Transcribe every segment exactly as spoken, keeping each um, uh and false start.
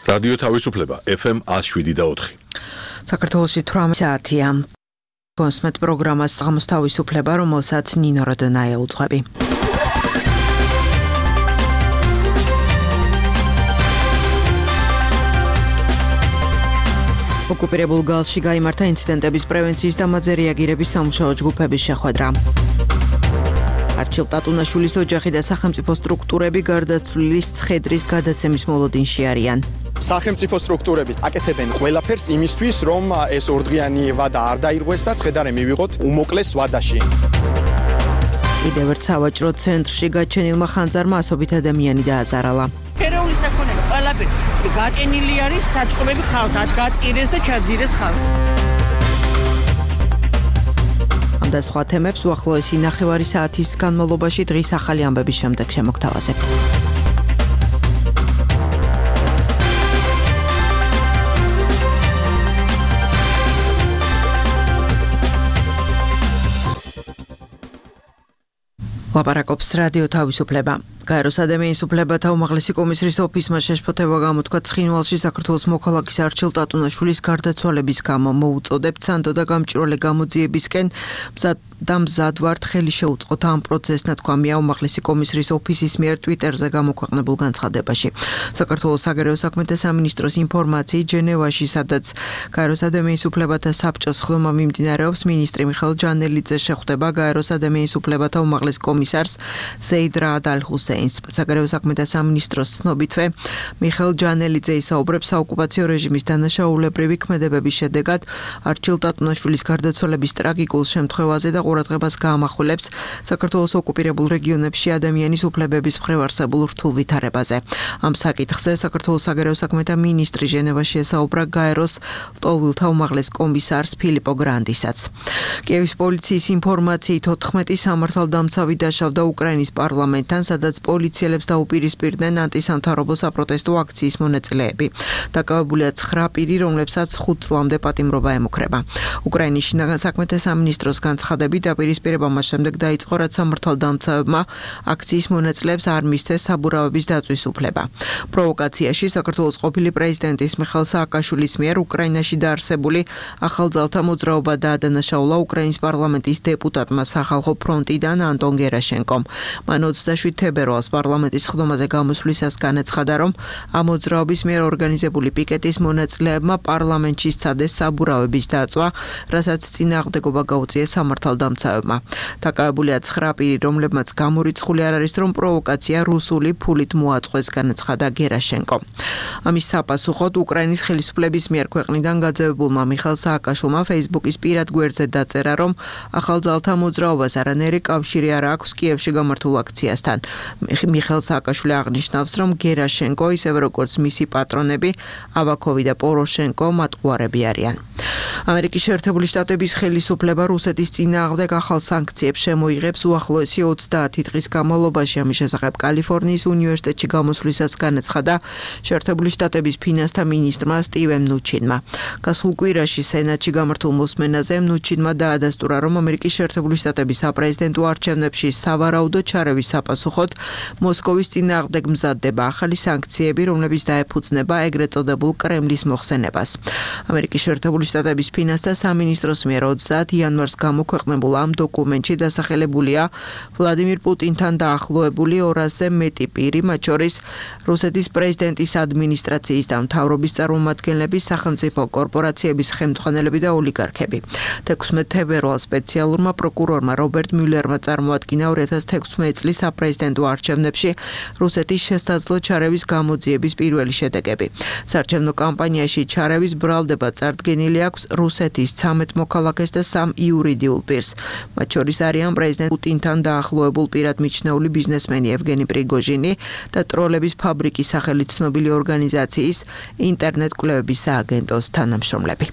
რადიო თავისუფლება ეფ ემ one oh seven და four. საქართველოში თვრამეტი საათია. კონსმეთ პროგრამას საღამოს თავისუფლება, რომელსაც ნინო როდონაია უძღვები. ოკუპირებულ გალში გაიმართა ინციდენტების პრევენციის და მათზე რეაგირების სამუშაო ჯგუფების შეხვედრა. არჩილ ტატუნაშვილის ოჯახი და სახელმწიფო სტრუქტურები გარდაცვლილის ცხედრის გადაცემის მოლოდინში არიან. სახელმწიფო სტრუქტურები აკეთებენ ყველაფერს იმისთვის, რომ ეს ორდღიანი ვადა არ დაირღვეს და ცხედარი მივიღოთ უმოკლეს ვადაში. კიდევ ერთ სავაჭრო ცენტრში გაჩენილმა ხანძარმა ასობით ადამიანი დააზარალა. ეროვნული საქონელი ყველაფერი გაკენილი არის საწყობები ხალხს, ათ გაწირეს და ჩაძირეს ხალხს. ამ და სხვა თემებს უახლოესი ნახევარი საათის განმავლობაში დღის ახალი ამბების შემდეგ შემოგთავაზებთ. ლაპარაკობს რადიო თავისუფლება. გაეროს ადამიანის უფლებათა უმაღლესი კომისრის ოფისმა შეშფოთება გამოთქვა ცხინვალში საქართველოს მოქალაქის არჩილ ტატუნაშვილის გარდაცვალების გამო. მოუწოდებთ სანდო და გამჭვირვალე გამოძიებისკენ და მზად ვართ ხელი შეუწყოთ ამ პროცესს, ნათქვამია უმაღლესი კომისრის ოფისის მიერ ტვიტერზე გამოქვეყნებულ განცხადებაში. საქართველოს საგარეო საქმეთა სამინისტროს ინფორმაციით ჟენევაში, სადაც გაეროს ადამიანის უფლებათა საბჭოს ხდომა მიმდინარეობს, მინისტრი მიხეილ ჯანელიძე შეხვდება გაეროს ადამიანის უფლებათა უმაღლეს კომისარს ზეიდ რაად ალ-ჰუსეინს. საგარეო საქმეთა სამინისტროს ცნობითვე მიხეილ ჯანელიძე ისაუბრებს საოკუპაციო რეჟიმის დანაშაულებრივი ქმედებების შედეგად არჩილ ტატუნაშვილის გარდაცვალების ტრაგიკულ შემთხვევაზე და ყურადღებას გაამახვილებს საქართველოს ოკუპირებულ რეგიონებში ადამიანის უფლებების მხრივ არსებულ რთულ ვითარებაზე. ამ საკითხზე საქართველოს საგარეო საქმეთა მინისტრი ჟენევაში ესაუბრა გაეროს ლტოლვილთა უმაღლეს კომისარს ფილიპო გრანდისაც. კიევის პოლიციის ინფორმაციით ოთხმეტი სამართალდამცავი დაშავდა უკრაინის პარლამენტთან, სადაც პოლიციელებს დაუპირისპირდნენ ანტისამთავრობო საპროტესტო აქციის მონაწილეები. დაკავებულია ცხრა პირი, რომლებსაც ხუთ წლამდე პატიმრობა ემუქრება. უკრაინის შინაგან საქმეთა სამინისტროს განცხადებით დაპირისპირება მას შემდეგ დაიწყო, რაც სამართალდამცავებმა აქციის მონაწილეებს არ მისცეს საბურავების დაწვის უფლება. პროვოკაციაში საქართველოს ყოფილი პრეზიდენტის მიხეილ სააკაშვილის მიერ უკრაინაში დაარსებული ახალძალთა მოძრაობა დაადანაშაულა უკრაინის პარლამენტის დეპუტატმა სახალხო ფრონტიდან ანტონ გერაშენკომ. მან ოცდაშვიდ თებერვალს პარლამენტის ხდომაზე გამოსვლისას განაცხადა, რომ ამ მოძრაობის მიერ ორგანიზებული პიკეტის მონაწილეებმა პარლამენტში სცადეს საბურავების დაწვა, რასაც წინააღმდეგობა გაუწიეს სამართალდამცავებმა. დაკავებულია ცხრა პირი, რომლებმაც გამორიცხული არ არის, რომ პროვოკაცია რუსული ფულით მოაწყვეს, განაცხადა გერაშენკო. ამის საპასუხოდ უკრაინის ხელისუფლების მიერ ქვეყნიდან გაძევებულმა მიხეილ სააკაშვილმა ფეისბუქის პირად გვერდზე დაწერა, რომ ახალძალთა მოძრაობას არანაირი კავშირი არ აქვს კიევში გამართულ აქციასთან. მიხეილ სააკაშვილი აღნიშნავს, რომ გერაშენკო, ისევე როგორც მისი პატრონები ავაკოვი და პოროშენკო მატყუარები არიან. ამერიკის შეერთებული შტატების ხელისუფლება რუსეთის წინააღმდეგ ახალ სანქციებს შემოიღებს უახლოესი ოცდაათი დღის განმავლობაში. ამის შესახებ კალიფორნიის უნივერსიტეტში გამოსვლისას განაცხადა შეერთებული შტატების ფინანსთა მინისტრმა სტივენ მნუჩინმა. გასულ კვირაში სენატში გამართულ მოსმენაზე მნუჩინმა დაადასტურა, რომ ამერიკის შეერთებული შტატების საპრეზიდენტო არჩევნებში სავარაუდო ჩარევის საპასუხოდ მოსკოვის წინააღმდეგ მზადდება ახალი სანქციები, რომლებიც დაეფუძნება ეგრეთ წოდებულ კრემლის მოხსენებას. ამერიკის შეერთებული შტატების ფინანსთა სამინისტროს მიერ ოცდაათი იანვარს გამოქვეყნებულ ამ დოკუმენტში დასახელებულია ვლადიმირ პუტინთან დაახლოებული ორასზე მეტი პირი, მათ შორის რუსეთის პრეზიდენტის ადმინისტრაციის და მთავრობის წარმომადგენლები, სახელმწიფო კორპორაციების ხელმძღვანელები და ოლიგარქები. თექვსმეტ თებერვალს სპეციალურმა პროკურორმა რობერტ მიულერმა წარმოადგინა ორი ათას თექვსმეტი წლის საპრეზიდენტო არჩევნებში რუსეთის შესაძლო ჩარევის გამოძიების პირველი შედეგები. საარჩევნო კამპანიაში ჩარევის ბრალდება წარდგენილი აქვს რუსეთის ცამეტ მოქალაქეს და სამ იურიდიულ პირს. მათ შორის არიან პრეზიდენტ პუტინთან დაახლოებულ პირად მიჩნეული ბიზნესმენი ევგენი პრიგოჟინი და ტროლების ფაბრიკის სახელით ცნობილი ორგანიზაციის ინტერნეტ კვლევების სააგენტოს თანამშრომლები.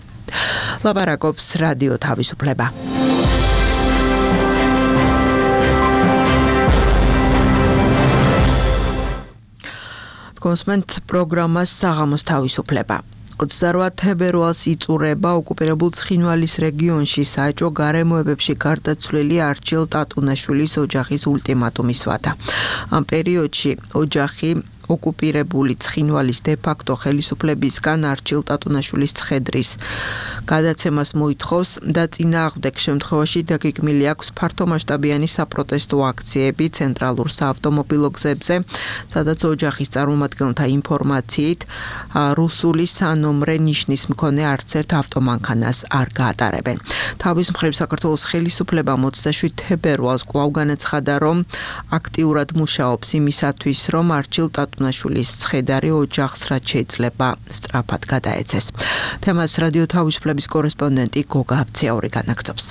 ლაპარაკობს რადიო თავისუფლება. კონსმეთ პროგრამას საღამოს თავისუფლება. ოცდაოთხ თებერვალს იწურება ოკუპირებულ ცხინვალის რეგიონში საეჭვო გარემოებებში გარდაცვლილი არჩილ ტატუნაშვილის ოჯახის ულტიმატუმის ვადა. ამ პერიოდში ოჯახი ოკუპირებული ცხინვალის დე-ფაქტო ხელისუფლებისგან არჩილ ტატუნაშვილის ცხედრის გადაცემას მოითხოვს და წინააღმდეგ შემთხვევაში დაგეგმილი აქვს ფართომასშტაბიანი საპროტესტო აქციები ცენტრალურ საავტომობილო გზებზე, სადაც ოჯახის წარმომადგენელთა ინფორმაციით რუსული სანომრე ნიშნის მქონე არც ერთ ავტომანქანას არ გაატარებენ. თავის მხრივ საქართველოს ხელისუფლებამ ოცდაშვიდ თებერვალს კვლავ განაცხადა, რომ აქტიურად მუშაობს იმისათვის, რომ არჩილ ტატუნაშვილის ცხედარი ოჯახს რაც შეიძლება სწრაფად გადაეცეს. თემას რადიო თავისუფლების კორესპონდენტი გოგა აბციაური განაგრძობს.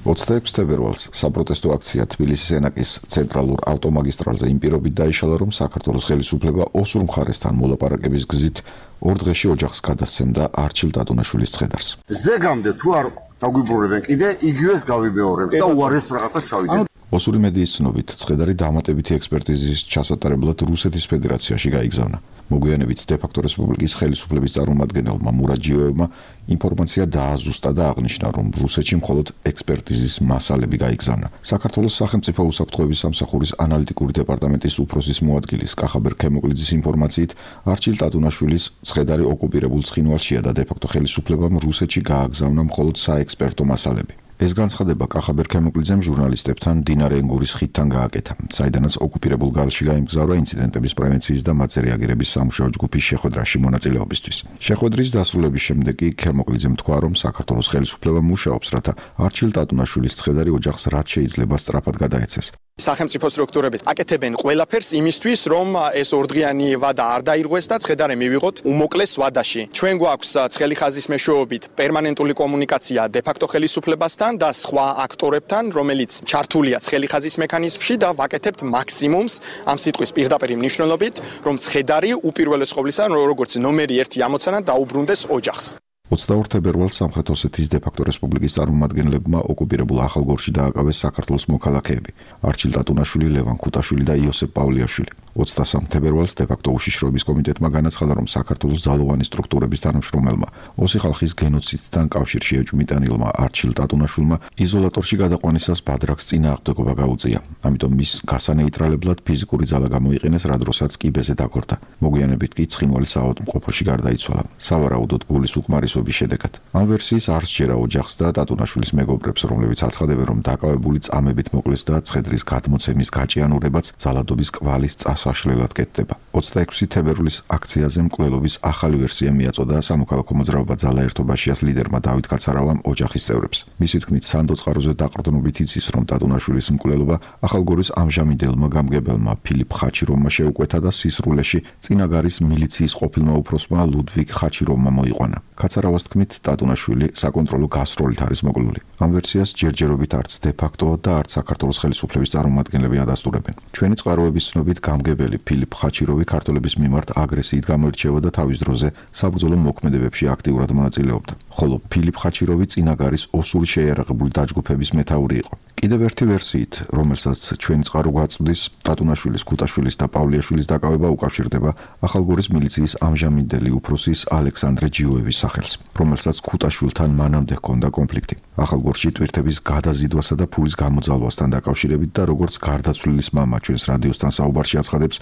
ოცდაექვსი თებერვალს საპროტესტო აქცია თბილისის ენაკის ცენტრალურ ავტომაგისტრალზე იმ პირობით დაიშალა, რომ საქართველოს ხელისუფლება ოსურ მხარესთან მოლაპარაკების გზით ორ დღეში ოჯახს გადასცემდა არჩილ ტატუნაშვილის ცხედარს. ზეგამდე თუ არ დაგვიბრუნებენ კიდე იგივეს გავიბეორებთ და უარეს რაღაცას ჩავიდეთ. ოსური მედიის ცნობით, ცხედარი დამატებითი ექსპერტიზის ჩასატარებლად რუსეთის ფედერაციაში გაიგზავნა. მოგვიანებით დე-ფაქტო რესპუბლიკის ხელისუფლების წარმომადგენელმა მურაჯიოევმა ინფორმაცია დააზუსტა და აღნიშნა, რომ რუსეთში მხოლოდ ექსპერტიზის მასალები გაიგზავნა. საქართველოს სახელმწიფო უსაფრთხოების სამსახურის ანალიტიკური დეპარტამენტის უფროსის მოადგილის კახაბერ ქემოკლიძის ინფორმაციით, არჩილ ტატუნაშვილის ცხედარი ოკუპირებულ ცხინვალშია და დე-ფაქტო ხელისუფლებამ რუსეთში გააგზავნა მხოლოდ საექსპერტო მასალები. ეს განცხადება კახაბერ ქემოკლიძემ ჟურნალისტებთან მდინარე ენგურის ხიდთან გააკეთა, საიდანაც ოკუპირებულ გალში გაიმგზავრა ინციდენტების პრევენციის და მათზე რეაგირების სამუშაო ჯგუფის შეხვედრაში მონაწილეობისთვის. შეხვედრის დასრულების შემდეგ კი ქემოკლიძემ თქვა, რომ საქართველოს ხელისუფლება მუშაობს, რათა არჩილ ტატუნაშვილის ცხედარი ოჯახს რაც შეიძლება სწრაფად გადაეცეს. სახელმწიფო სტრუქტურები აკეთებენ ყველაფერს იმისთვის, რომ ეს ორდღიანი ვადა არ დაირღვეს და ცხედარი მივიღოთ უმოკლეს ვადაში. ჩვენ გვაქვს ცხელი ხაზის მეშვეობით პერმანენტული კომუნიკაცია დე-ფაქტო ხელისუფლებასთან და სხვა აქტორებთან, რომელიც ჩართულია ცხელი ხაზის მექანიზმში და ვაკეთებთ მაქსიმუმს ამ სიტყვის პირდაპირ მნიშვნელობით, რომ ცხედარი უპირველეს ყოვლისა, როგორც ნომერი ერთი ამოცანა დაუბრუნდეს ოჯახს. ოცდაორ თებერვალს სამხრეთ ოსეთის დე-ფაქტო რესპუბლიკის წარმომადგენლებმა ოკუპირებულ ახალგორში დააკავეს საქართველოს მოქალაქეები: არჩილ ტატუნაშვილი, ლევან ქუტაშვილი და იოსებ პავლიაშვილი. ოცდასამ თებერვალს დე-ფაქტო უშიშროების კომიტეტმა განაცხადა, რომ საქართველოს ძალოვანი სტრუქტურების თანამშრომელმა ოსი ხალხის გენოციდთან კავშირში ეჭვმიტანილმა არჩილ ტატუნაშვილმა იზოლატორში გადაყვანისას ბადრაგს წინააღმდეგობა გაუწია. ამიტომ მის გასანეიტრალებლად ფიზიკური ძალა გამოიყენეს, რა დროსაც კიბეზე დაგორდა. მოგვიანებით კი ცხინვალის საავადმყოფოში გარდაიცვალა. სავარაუდოდ გულის უკმარისობის შედეგად. ამ ვერსიის არ სჯერა ოჯახს და ტატუნაშვილის მეგობრებს, რომლებიც აცხადებენ, რომ დაკავებული წამებით მოკლეს და ცხედრის გადმოცემის გაჭიანურებაც ძალადობის კვალის საშლელად კეთდება. ოცდაექვსი თებერვლის აქციაზე მკვლელობის ახალი ვერსია მიაწოდა სამოქალაქო მოძრაობა ძალა ერთობაშიას ლიდერმა დავით კაცარავამ ოჯახის წევრებს. მისი თქმით, სანდო წყაროზე დაყრდნობით იცის, რომ ტატუნაშვილის მკვლელობა ახალგორის ამჟამინდელმა გამგებელმა ფილიპ ხაჩიროვმა შეუკვეთა და სისრულეში წინაგარის მილიციის ყოფილმა უფროსმა ლუდვიგ ხაჩიროვმა მოიყვანა. კაცარავას თქმით, ტატუნაშვილი საკონტროლო გასროლით არის მოკლული. ამ ვერსიას ჯერჯერობით არც დე-ფაქტო და არც საქართველოს ხელისუფლების წარმომადგენლები ადასტურებენ. ჩვენი წყაროების ცნობით გამგებელი ფილიპ ხაჩიროვი ქართველების მიმართ აგრესიით გამოირჩევა და თავის დროზე საბრძოლო მოქმედებებში აქტიურად მონაწილეობდა. ხოლო ფილიპ ხაჩიროვი წინაგარის ოსური შეიარაღებული დაჯგუფების მეთაური იყო. კიდევ ერთი ვერსიით, რომელსაც ჩვენი წყარო გვაწვდის, ტატუნაშვილის, ქუტაშვილის და პავლიაშვილის დაკავება უკავშირდება ახალგორის მილიციის ამჟამინდელი უფროსის ალექსანდრე ჯიოევის სახელს, რომელსაც ქუტაშვილთან მანამდე ჰქონდა კონფლიქტი. ახალგორში ტვირთების გადაზიდვასა და ფულის გამოძალვასთან დაკავშირებით და როგორც გარდაცვლილის მამა ჩვენს რადიოსთან საუბარში აცხადებს,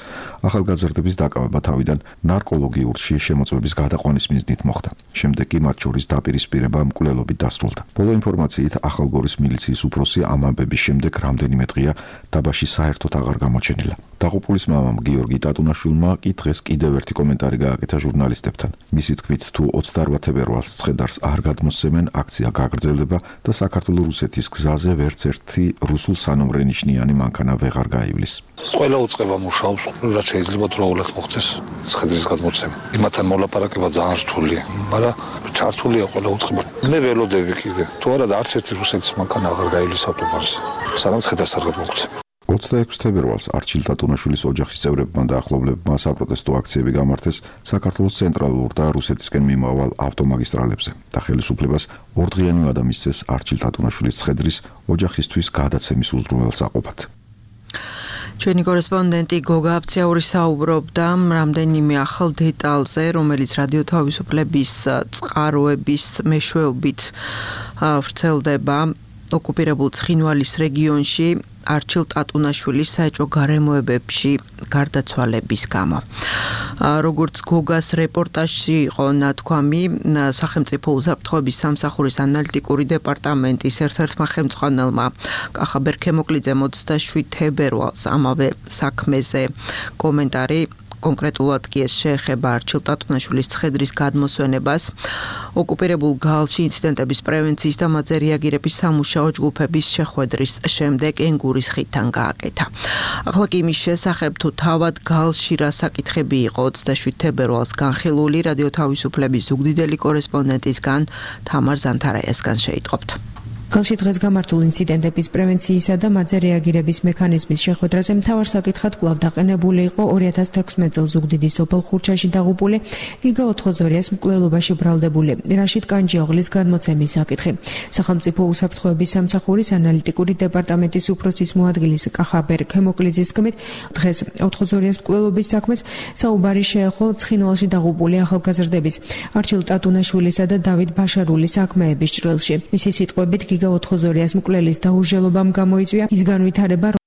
ახალგაზრდების დაკავება თავიდან ნარკოლოგიური შემოწმების გადაყვანის მიზნით მოხდა. შემდეგ კი მათ შორის დაპირისპირება მკვლელობით დასრულდა. ბოლო ინფორმაციით, ახალგორის მილიციის უფროსი ამ ამბების შემდეგ რამდენიმე დღეა დაბაში საერთოდ აღარ გამოჩენილა. დაღუპულის მამამ გიორგი ტატუნაშვილმა კი დღეს კიდევ ერთი კომენტარი გააკეთა ჟურნალისტებთან. მისი თქმით, თუ ოცდაორ თებერვალს ცხედარს არ გადმოსცემენ, აქცია გაგრძელდება და საქართველოს-რუსეთის გზაზე ვერც ერთი რუსულ სანომრე ნიშნიანი მანქანა ვეღარ გაივლის. ყველა უწყება მუშაობს, რაც შეიძლება დროულად მოხდეს ცხედრის გადმოცემა. იმათთან მოლაპარაკება ძალიან რთულია, მაგრამ ჩართულია ყველა უწყება. მე ველოდები კიდე, თუ არა და არც ერთი რუსეთის მანქანა აღარ გაივლის ავტობანზე, სანამ ცხედარს არ გადმოგცემენ. ოცდაექვსი თებერვალს არჩილ ტატუნაშვილის ოჯახის წევრებმა და ახლობლებმა საპროტესტო აქციები გამართეს საქართველოს ცენტრალურ და რუსეთისკენ მიმავალ ავტომაგისტრალებზე და ხელისუფლებას ორდღიანი ვადა მისცეს არჩილ ტატუნაშვილის ცხედრის ოჯახისთვის გადაცემის უზრუნველსაყოფად. ჩვენი კორესპონდენტი გოგა აბციაური საუბრობდა რამდენიმე ახალ დეტალზე, რომელიც რადიო თავისუფლების წყაროების მეშვეობით ვრცელდება ოკუპირებულ ცხინვალის რეგიონში. არჩილ ტატუნაშვილის საეჭვო გარემოებებში გარდაცვალების გამო. როგორც გოგას რეპორტაჟში იყო ნათქვამი, სახელმწიფო უსაფრთხოების სამსახურის ანალიტიკური დეპარტამენტის ერთ-ერთმა ხელმძღვანელმა კახა ბერქემოკლიძემ ოცდაშვიდ თებერვალს ამავე საქმეზე კომენტარი კონკრეტულად კი ეს შეეხება არჩილ ტატუნაშვილის ცხედრის გადმოსვენებას, ოკუპირებულ გალში ინციდენტების პრევენციის და მათზე რეაგირების სამუშაო ჯგუფების შეხვედრის შემდეგ ენგურის ხიდთან გააკეთა. ახლა კი იმის შესახებ თუ თავად გალში რა საკითხები იყო ოცდაშვიდ თებერვალს განხილული რადიო თავისუფლების ზუგდიდელი კორესპონდენტისგან თამარ ზანთარაიასგან შეიტყობთ. გალში დღეს გამართულ ინციდენტების პრევენციისა და მათზე რეაგირების მექანიზმის შეხვედრაზე მთავარ საკითხად კვლავ დაყენებული იყო ორი ათას თექვსმეტ წელს ზუგდიდის სოფელ ხურჩაში დაღუპული გიგა ოთხოზორიას მკვლელობაში ბრალდებული რაშიდ კანჯიოღლის გადმოცემის საკითხი. სახელმწიფო უსაფრთხოების სამსახურის ანალიტიკური დეპარტამენტის უფროსის მოადგილის კახა ბერქემოკლიძის თქმით, დღეს ოთხოზორიას მკვლელობის საქმეს საუბარი შეეხო ცხინვალში დაღუპული ახალგაზრდების არჩილ ტატუნაშვილისა და დავით ბაშარულის საქმეების ჭრილში. მისი სიტყვებით ოთხოზორიას მკვლელის დაურჟელობამ გამოიწვია ის განვითარება,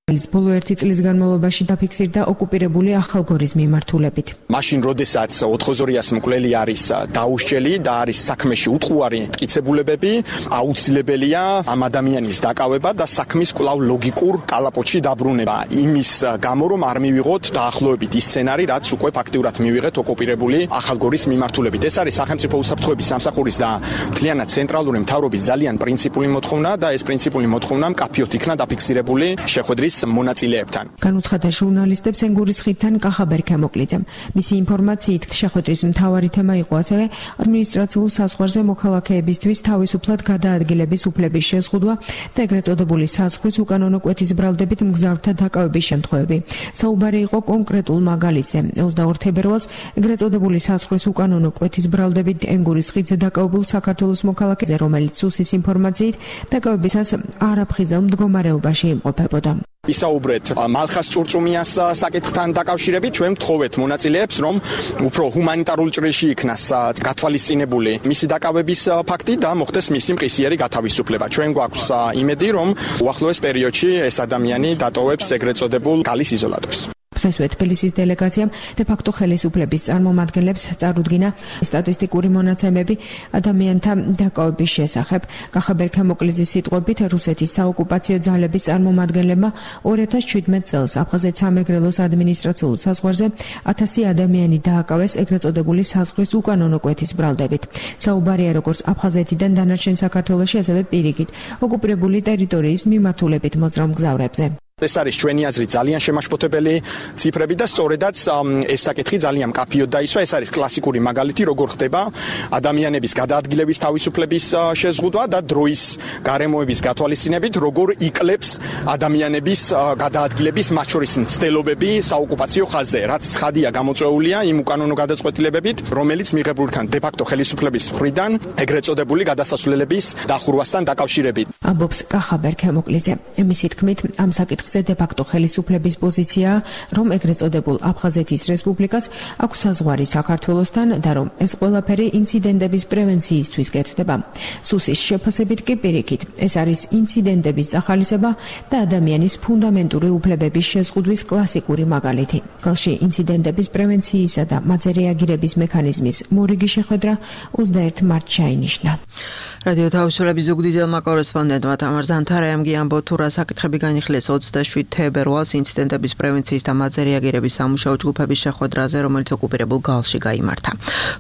რომელიც ბოლო ერთი წლის განმავლობაში დაფიქსირდა ოკუპირებული ახალგორის მიმართულებით. მაშინ როდესაც ოთხოზორიას მკვლელი არის დაუსჯელი და არის საქმეში უტყუარი მტკიცებულებები, აუცილებელია ამ ადამიანის დაკავება და საქმის კვლავ ლოგიკურ კალაპოტში დაბრუნება. იმის გამო რომ არ მივიღოთ დაახლოებით ის სცენარი, რაც უკვე ფაქტიურად მივიღეთ ოკუპირებული ახალგორის მიმართულებით. ეს არის სახელმწიფო უსაფრთხოების სამსახურის და მთლიანად ცენტრალური მთავრობის ძალიან პრინციპული მოთხოვნა და ეს პრინციპული მოთხოვნა მკაფიოდ იქნა დაფიქსირებული შეხვედრის მონაწილეებთან. განუცხადა ჟურნალისტებს ენგურის ხიდთან კახა ბერქემოკლიძემ. მისი ინფორმაციით შეხვედრის მთავარი თემა იყო ასევე ადმინისტრაციულ საზღვარზე მოქალაქეებისთვის თავისუფლად გადაადგილების უფლების შეზღუდვა და ეგრეთ წოდებული საზღვრის უკანონო კვეთის ბრალდებით მგზავრთა დაკავების შემთხვევები. საუბარი იყო კონკრეტულ მაგალითზე. ოცდაორ თებერვალს ეგრეთ წოდებული საზღვრის უკანონო კვეთის ბრალდებით ენგურის ხიდზე დაკავებულ საქართველოს მოქალაქეზე, რომელიც სუსის ინფორმაციით დაკავებისას არაფხიზელ მდგომარეობაში იმყოფებოდა. ისაუბრეთ მალხას წურწუმიას საკითხთან დაკავშირებით, ჩვენ ვთხოვეთ მონაწილეებს, რომ უფრო ჰუმანიტარულ ჭრილში იქნას გათვალისწინებული მისი დაკავების ფაქტი და მოხდეს მისი მყისიერი გათავისუფლება. ჩვენ გვაქვს იმედი, რომ უახლოეს პერიოდში ეს ადამიანი დატოვებს ეგრეთ წოდებულ გალის იზოლატორს. დღესვე თბილისის დელეგაციამ დე-ფაქტო ხელისუფლების წარმომადგენლებს წარუდგინა სტატისტიკური მონაცემები ადამიანთა დაკავების შესახებ. კახა ბერქემოკლიძის სიტყვებით, რუსეთის საოკუპაციო ძალების წარმომადგენლებმა ორი ათას შვიდმეტ წელს აფხაზეთ სამეგრელოს ადმინისტრაციულ საზღვარზე ათასი ადამიანი დააკავეს ეგრეთ წოდებული საზღვრის უკანონო კვეთის ბრალდებით. საუბარია როგორც აფხაზეთიდან დანარჩენ საქართველოში, ასევე პირიქით ოკუპირებული ტერიტორიის მიმართულებით მოძრავ მგზავრებზე. ეს არის ჩვენი აზრით ძალიან შემაშფოთებელი ციფრები და სწორედაც ეს საკითხი ძალიან მკაფიოდ დაისვა. ეს არის კლასიკური მაგალითი, როგორ ხდება ადამიანების გადაადგილების თავისუფლების შეზღუდვა და დროის გარემოების გათვალისწინებით, როგორ იკლებს ადამიანების გადაადგილების მათ შორის მცდელობები საოკუპაციო ხაზზე, რაც ცხადია გამოწვეულია იმ უკანონო გადაწყვეტილებებით, რომელიც მიღებული იქნა დე-ფაქტო ხელისუფლების მხრიდან ეგრეთ წოდებული გადასასვლელების დახურვასთან დაკავშირებით. ამბობს კახა ბერქემოკლიძე. მისი თქმით, ამ საკითხ დე-ფაქტო ხელისუფლების პოზიციაა, რომ ეგრეთ წოდებულ აფხაზეთის რესპუბლიკას აქვს საზღვარი საქართველოსთან და რომ ეს ყველაფერი ინციდენტების პრევენციისთვის კეთდება. სუსის შეფასებით კი პირიქით, ეს არის ინციდენტების წახალისება და ადამიანის ფუნდამენტური უფლებების შეზღუდვის კლასიკური მაგალითი. გალში ინციდენტების პრევენციისა და მათზე რეაგირების მექანიზმის მორიგი შეხვედრა ოცდაერთ მარტს ჩაინიშნა. რადიო თავისუფლების ზუგდიდელმა კორესპონდენტმა თამარ ზანთარაიამ გიამბო თუ რა საკითხები განიხილეს ოცდაშვიდ თებერვალს ინციდენტების პრევენციის და მათზე რეაგირების სამუშაო ჯგუფების შეხვედრაზე, რომელიც ოკუპირებულ გალში გაიმართა.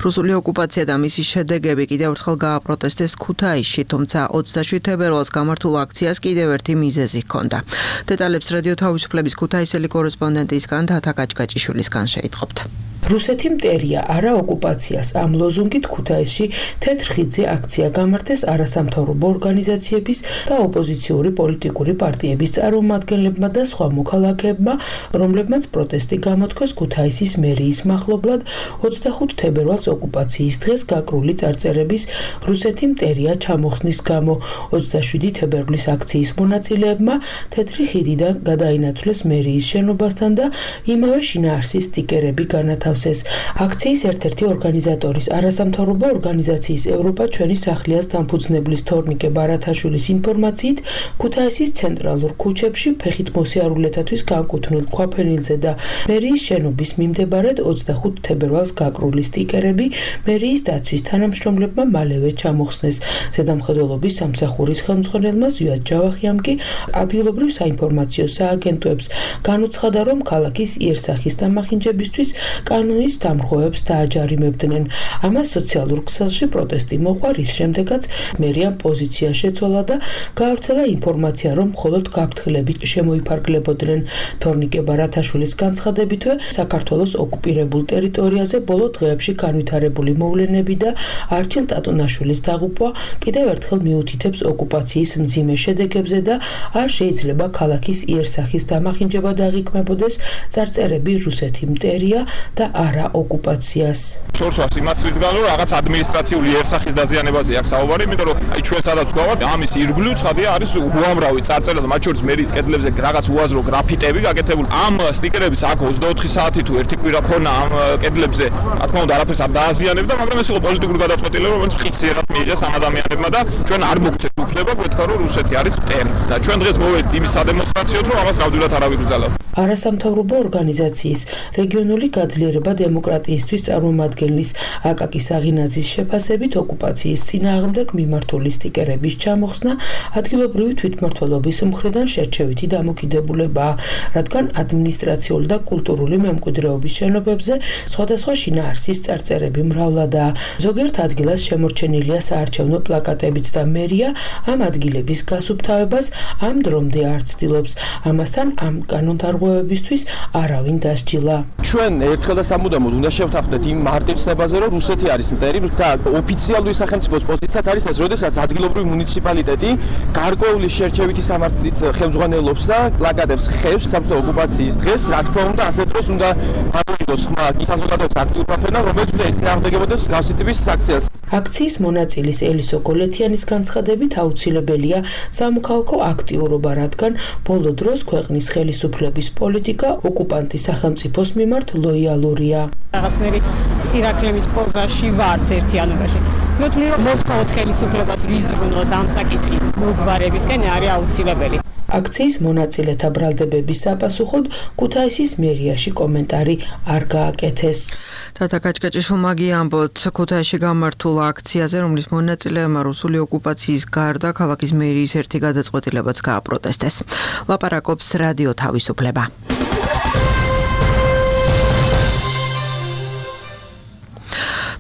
რუსული ოკუპაცია და მისი შედეგები კიდევ ერთხელ გააპროტესტეს ქუთაისში, თუმცა ოცდაშვიდ თებერვალს გამართულ აქციას კიდევ ერთი მიზეზი ჰქონდა. დეტალებს რადიო თავისუფლების ქუთაისელი კორესპონდენტისგან თათა კაჭკაჭიშვილისგან შეიტყობთ. რუსეთი მტერია არა ოკუპაციას ამ ლოზუნგით ქუთაისში თეთრ ხიდზე აქცია გამართეს არასამთავრობო ორგანიზაციების და ოპოზიციური პოლიტიკური პარტიების წარმომადგენლები ხელმძღვანელებმა და სხვა მოქალაქეებმა, რომლებმაც პროტესტი გამოთქვეს ქუთაისის მერიის მახლობლად ოცდახუთ თებერვალს ოკუპაციის დღეს გაკრული წარწერების რუსეთი მტერია ჩამოხსნის გამო. ოცდაშვიდი თებერვლის აქციის მონაწილეებმა თეთრი ხიდიდან გადაინაცვლეს მერიის შენობასთან და იმავე შინაარსის სტიკერები განათავსეს. აქციის ერთ-ერთი ორგანიზატორის არასამთავრობო ორგანიზაციის ევროპა ჩვენი სახლიას დამფუძნებლის თორნიკე ბარათაშვილის ინფორმაციით, ქუთაისის ცენტრალურ ქუჩებში ფეხით მოსიარულეთათვის განკუთვნილ ქვაფენილზე და მერიის შენობის მიმდებარედ ოცდახუთ თებერვალს გაკრული სტიკერები მერიის დაცვის თანამშრომლებმა მალევე ჩამოხსნეს. ზედამხედველობის სამსახურის ხელმძღვანელმა ზვიად ჯავახიამ კი ადგილობრივ საინფორმაციო სააგენტოებს განუცხადა, რომ ქალაქის იერსახის დამახინჯებისთვის კანონის დამრღვევებს დააჯარიმებდნენ. ამას სოციალურ ქსელში პროტესტი მოყვა, რის შემდეგაც მერიამ პოზიცია შეცვალა და გაავრცელა ინფორმაცია, რომ მხოლოდ გაფრთხილებით შემოიფარგლებოდნენ. თორნიკე ბარათაშვილის განცხადებითვე, საქართველოს ოკუპირებულ ტერიტორიაზე ბოლო დღეებში განვითარებული მოვლენები და არჩილ ტატუნაშვილის დაღუპვა კიდევ ერთხელ მიუთითებს ოკუპაციის მძიმე შედეგებზე და არ შეიძლება ქალაქის იერსახის დამახინჯება დაღიქმებოდეს წარწერები რუსეთი მტერია და არა ოკუპაციას. შორს ვარს იმასრის გან, რომ რაღაც ადმინისტრაციული იერსახის დაზიანებაზე აქვს საუბარი, იმიტომ რომ აი ჩვენ სადაც ვდგავართ, ამის ირგვლივ ცხადია არის უამრავი წარწერა და მათ შორის მერიის კედლებზე რაღაც უაზრო გრაფიტები გაკეთებული. ამ სტიკერების აქ ოცდაოთხი საათი თუ ერთი კვირა ქონა ამ კედლებზე, რა თქმა უნდა, არაფერს არ დააზიანებდა, მაგრამ ეს იყო პოლიტიკური გადაწყვეტილება, რომელიც ხისიერად მიიღეს ამ ადამიანებმა და ჩვენ არ მოგცეთ უფლება გვეთქვა, რომ რუსეთი არის მტერი. და ჩვენ დღეს მოვედით იმის სადემონსტრაციოდ, რომ ამას ნამდვილად არ ავიგრძალებთ. არასამთავრობო ორგანიზაციის რეგიონული გაძლიერება დემოკრატიისთვის წარმომადგენლის აკაკი საღინაძის შეფასებით ოკუპაციის წინააღმდეგ მიმართული სტიკერების ჩამოხსნა ადგილობრივი თვითმმართველობის მხრიდან შერჩევითი დამოკიდებულებაა, რადგან ადმინისტრაციული და კულტურული მემკვიდრეობის შენობებზე სხვადასხვა შინაარსის წარწერები მრავლადაა. ზოგიერთ ადგილას შემორჩენილია საარჩევნო პლაკატებიც და მერია ამ ადგილების გასუფთავებას ამ დრომდე არ ცდილობს. ამასთან ამ კანონდარღვევებისთვის არავინ დასჯილა. ჩვენ ერთხელ და სამუდამოდ უნდა შევთანხმდეთ იმ მარტივ ცნებაზე, რომ რუსეთი არის მტერი და ოფიციალური სახელმწიფოს პოზიციაც არის ეს, როდესაც ადგილობრივი მუნიციპალიტეტი გარკვეული შერჩევითი სამართლით ხელმძღვანელობს და პლაკატებს ხევს საბჭოთა ოკუპაციის დღეს, რა თქმა უნდა, ასე დროს უნდა გამოიგოს ხმა საზოგადოების აქტიურმა ფენამ, რომელიც უნდა ეწინააღმდეგებოდეს მსგავსი ტიპის აქციას. აქციის მონაწილის ელისო კოლეთიანის განცხადებით აუცილებელია სამოქალაქო აქტიურობა, რადგან ბოლო დროს ქვეყნის ხელისუფლების პოლიტიკა ოკუპანტის სახელმწიფოს მიმართ ლოიალურია. რაღაცნაირი სირაქლემის პოზაში ვართ ერთიანობაში. მეთვლი რომ მოთხოვოთ ხელისუფლებას ვიზრუნოს ამ საკითხის მოგვარებისკენ არის აუცილებელი. აქციის მონაწილეთა ბრალდებების საპასუხოდ ქუთაისის მერიაში კომენტარი არ გააკეთეს. თათა კაჭკაჭიშვილმა ამბოთ ქუთაისში გამართულ აქციაზე, რომლის მონაწილეებმა რუსული ოკუპაციის გარდა ქალაქის მერიის ერთი გადაწყვეტილებაც გააპროტესტეს. ლაპარაკობს რადიო თავისუფლება.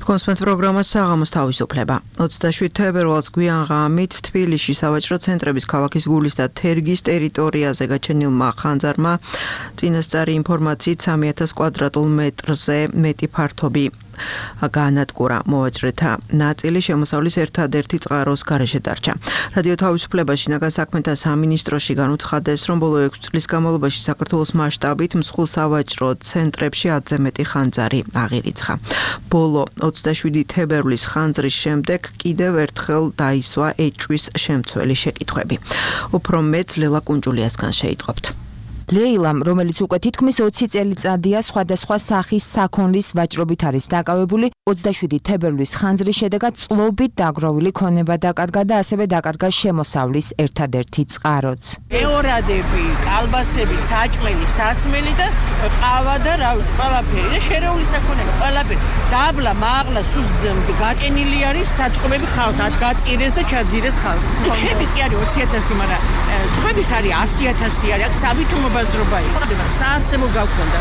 კონსპენს პროგრამა საღამოს თავისუფლება. ოცდაშვიდ თებერვალს გვიან ღამით თბილისში სავაჭრო ცენტრების ქალაქის გულის და თერგის ტერიტორიაზე გაჩენილმა ხანძარმა წინასწარი ინფორმაციით სამი ათას კვადრატულ მეტრზე მეტი ფართობი განადგურა. მოვაჭრეთა ნაწილი შემოსავლის ერთადერთი წყაროს გარეშე დარჩა. რადიო თავისუფლება შინაგან საქმეთა სამინისტროში განუცხადეს, რომ ბოლო ექვს წლის განმავლობაში საქართველოს მასშტაბით მსხვილ სავაჭრო ცენტრებში ათზე მეტი ხანძარი აღირიცხა. ბოლო ოცდაშვიდი თებერვლის ხანძრის შემდეგ კიდევ ერთხელ დაისვა ეჭვის შემცველი შეკითხვები. უფრო მეც ლელა კუნჯულიასგან შეიტყობთ. ლეილამ, რომელიც უკვე თითქმის ოცი წელიწადია სხვადასხვა სახის საქონლის ვაჭრობით არის დაკავებული, ოცდაშვიდი თებერვლის ხანძრის შედეგად წლობით დაგროვილი ქონება დაკარგა და ასევე დაკარგა შემოსავლის ერთადერთი წყაროც. ეორადები, კალბასები, საჭმელი, სასმელი და ყავა და რა ვიცი, ყველაფერი და შერეული საქონელი, ყველაფერი. დაბლა, მაღლა, სულ გაკენილი არის საწყობები ხალხს, ათ გაწირეს და ჩაძირეს ხალხს. ჩემი კი არის ოცი ათასი, მაგრამ სხვების არის ასი ათასი არის, აქ სავითუმო ბაზრობა იყო. საარსებო გავქონდა.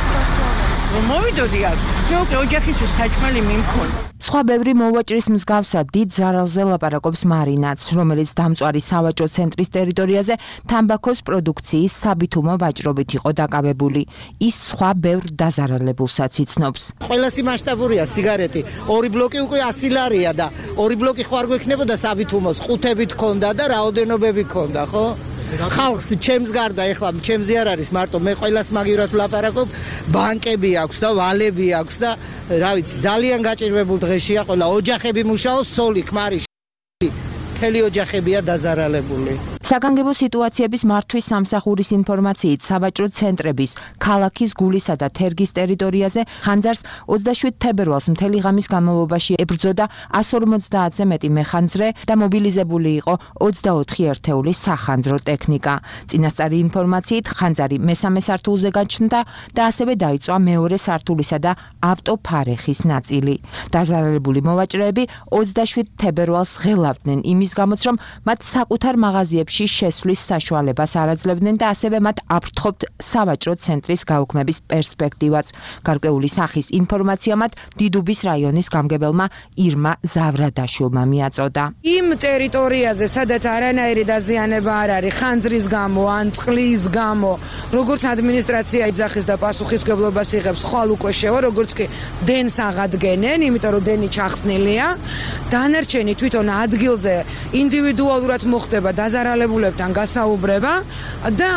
მოვიდოდი აქ. მე უკვე ოჯახისთვის საჭმელი მიმქონდა. სხვა ბევრი მოვაჭრის მსგავსად დიდ ზარალზე ლაპარაკობს მარინაც, რომელიც დამწვარი სავაჭრო ცენტრის ტერიტორიაზე თამბაქოს პროდუქციის საბითუმო ვაჭრობით იყო დაკავებული. ის სხვა ბევრ დაზარალებულსაც იცნობს. ყველასი მასშტაბურია სიგარეტი. ორი ბლოკი უკვე ასი ლარია და ორი ბლოკი ხوار გვექნებოდა საბითუმოს, ყუთებით ქონდა და რაოდენობები ქონდა, ხო? ხალხს ჩემს გარდა ეხლა ჩემზე არ არის მარტო მე ყველას მაგივრად ვლაპარაკობ, ბანკები აქვს და ვალები აქვს და რა ვიცი, ძალიან გაჭირვებულ დღეშია ყველა, ოჯახები მუშაობს, სოლი, ქმარი, მთელი ოჯახებია დაზარალებული. საგანგებო სიტუაციების მართვის სამსახურის ინფორმაციით სავაჭრო ცენტრების ქალაქის გულისა და თერგის ტერიტორიაზე ხანძარს ოცდაშვიდ თებერვალს მთელი ღამის განმავლობაში ებრძოდა εκατს ორმოცდაათზე მეტი მეხანძრე და მობილიზებული იყო ოცდაოთხი ერთეული სახანძრო ტექნიკა. წინასწარი ინფორმაციით ხანძარი მესამე სართულზე გაჩნდა და ასევე დაიწვა მეორე სართულისა და ავტოფარეხის ნაწილი. დაზარალებული მოვაჭრეები ოცდაშვიდ თებერვალს ღელავდნენ იმის გამოც, რომ მათ საკუთარ მაღაზიებში შესვლის საშუალებას არ აძლევდნენ და ასევე მათ აფრთხობთ სავაჭრო ცენტრის გაუქმების პერსპექტივაც. გარკვეული სახის ინფორმაცია მათ დიდუბის რაიონის გამგებელმა ირმა ზავრადაშვილმა მიაწოდა. იმ ტერიტორიაზე, სადაც არანაირი დაზიანება არ არის, ხანძრის გამო, ან წყლის გამო, როგორც ადმინისტრაცია იძახის და პასუხისმგებლობას იღებს, ხვალ უკვე შევა, როგორც კი დენს აღადგენენ, იმიტომ რომ დენი ჩახსნილია. დანარჩენი თვითონ ადგილზე ინდივიდუალურად მოხდება დაზარალებულებთან გასაუბრება და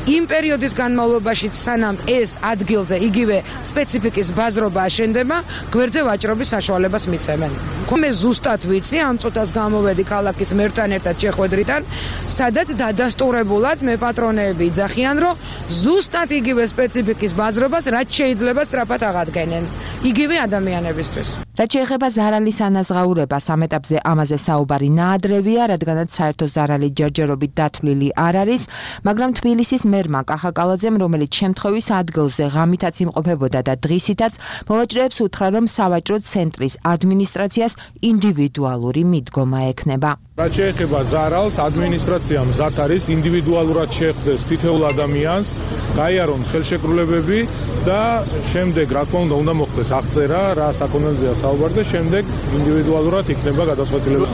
იმ პერიოდის განმავლობაში სანამ ეს ადგილზე იგივე სპეციფიკის ბაზრობა აშენდება, გვერდზე ვაჭრობის საშუალებას მიცემენ. მე ზუსტად ვიცი, ამ წუთას გამოვედი ქალაქის მერთან ერთად შეხვედრიდან, სადაც დადასტურებულად მე პატრონეები იძახიან, რომ ზუსტად იგივე სპეციფიკის ბაზრობას რაც შეიძლება სწრაფად აღადგენენ იგივე ადამიანებისთვის. რაც შეეხება ზარალის ანაზღაურებას, ამ ეტაპზე ამაზე საუბარი ნაადრევია, რადგანაც საერთო ზარალი ჯერჯერობით დათვლილი არ არის, მაგრამ თბილისის მერმა კახაკალაძემ, რომელიც შემთხვევის ადგილზე ღამითაც იმყოფებოდა და დღისითაც, მოვაჭრეებს უთხრა, რომ სავაჭრო ცენტრის ადმინისტრაციას ინდივიდუალური მიდგომა ექნება. რაც შეეხება ზარალს, ადმინისტრაცია მზად არის ინდივიდუალურად შეხვდეს თითოეულ ადამიანს, გაიარონ ხელშეკრულებები და შემდეგ, რა თქმა უნდა, უნდა მოხდეს აღწერა, რა საკონელზეა საუბარი და შემდეგ ინდივიდუალურად იქნება გადაწყვეტილება.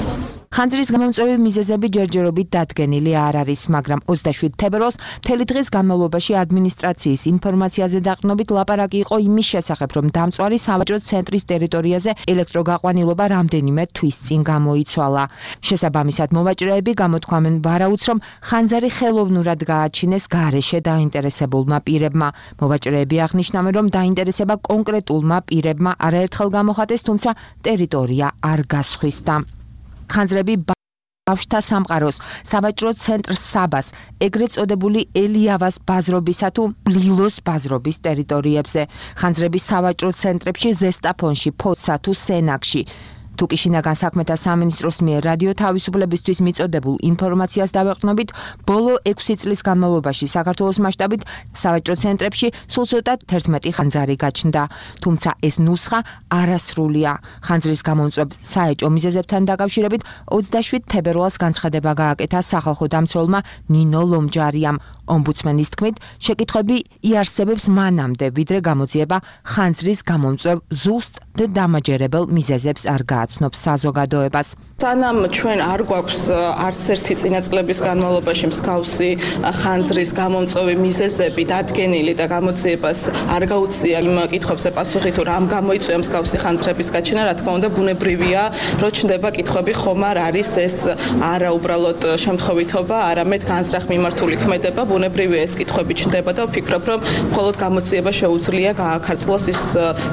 ხანძრის გამომწვევი მიზეზები ჯერჯერობით დადგენილი არ არის, მაგრამ ოცდაშვიდ თებერვალს მთელი დღის განმავლობაში ადმინისტრაციის ინფორმაციაზე დაყრდნობით ლაპარაკი იყო იმის შესახებ, რომ დამწვარი სავაჭრო ცენტრის ტერიტორიაზე ელექტროგაყვანილობა რამდენიმე თვის წინ გამოიცვალა. შესაბამისად, მოვაჭრეები გამოთქვამენ ვარაუდს, რომ ხანძარი ხელოვნურად გააჩინეს გარეშე დაინტერესებულმა პირებმა. მოვაჭრეები აღნიშნავენ, რომ დაინტერესება კონკრეტულმა პირებმა არაერთხელ გამოხატეს, თუმცა ტერიტორია არ გასხვისდა. ხანძრები ბავშვთა სამყაროს, სავაჭრო ცენტრ საბას, ეგრეთ წოდებული ელიავას ბაზრობისა თუ ლილოს ბაზრობის ტერიტორიებზე. ხანძრები სავაჭრო ცენტრებში, ზესტაფონში, ფოცსა თუ სენაკში. თუკი შინაგან საქმეთა სამინისტროს მიერ რადიო თავისუფლებისთვის მიწოდებულ ინფორმაციას დავეყრდნობით, ბოლო ექვსი წლის განმავლობაში საქართველოს მასშტაბით სავაჭრო ცენტრებში სულ ცოტა თერთმეტი ხანძარი გაჩნდა. თუმცა ეს ნუსხა არასრულია. ხანძრის გამომწვევ საეჭო მიზეზებთან დაკავშირებით ოცდაშვიდ თებერვალს განცხადება გააკეთა სახალხო დამცველმა ნინო ლომჯარიამ. ომბუდსმენის თქმით, შეკითხვები იარსებებს მანამდე, ვიდრე გამოძიება ხანძრის გამომწვევ ზუსტ და დამაჯერებელ მიზეზებს არ გააცნობს საზოგადოებას. სანამ ჩვენ არ გვაქვს არც ერთი წინა წლების განმავლობაში მსგავსი ხანძრის გამომწვევი მიზეზები დადგენილი და გამოძიებას არ გაუწია იმ კითხვებზე პასუხი, თუ რამ გამოიწვია მსგავსი ხანძრების გაჩენა, რა თქმა უნდა, ბუნებრივია, რომ ჩნდება კითხვები, ხომ არ არის ეს არა უბრალოდ შემთხვევითობა, არამედ განზრახ მიმართული ქმედება. ბუნებრივია ეს კითხვები ჩნდება და ვფიქრობ, რომ მხოლოდ გამოძიება შეუძლია გააქარწყლოს ის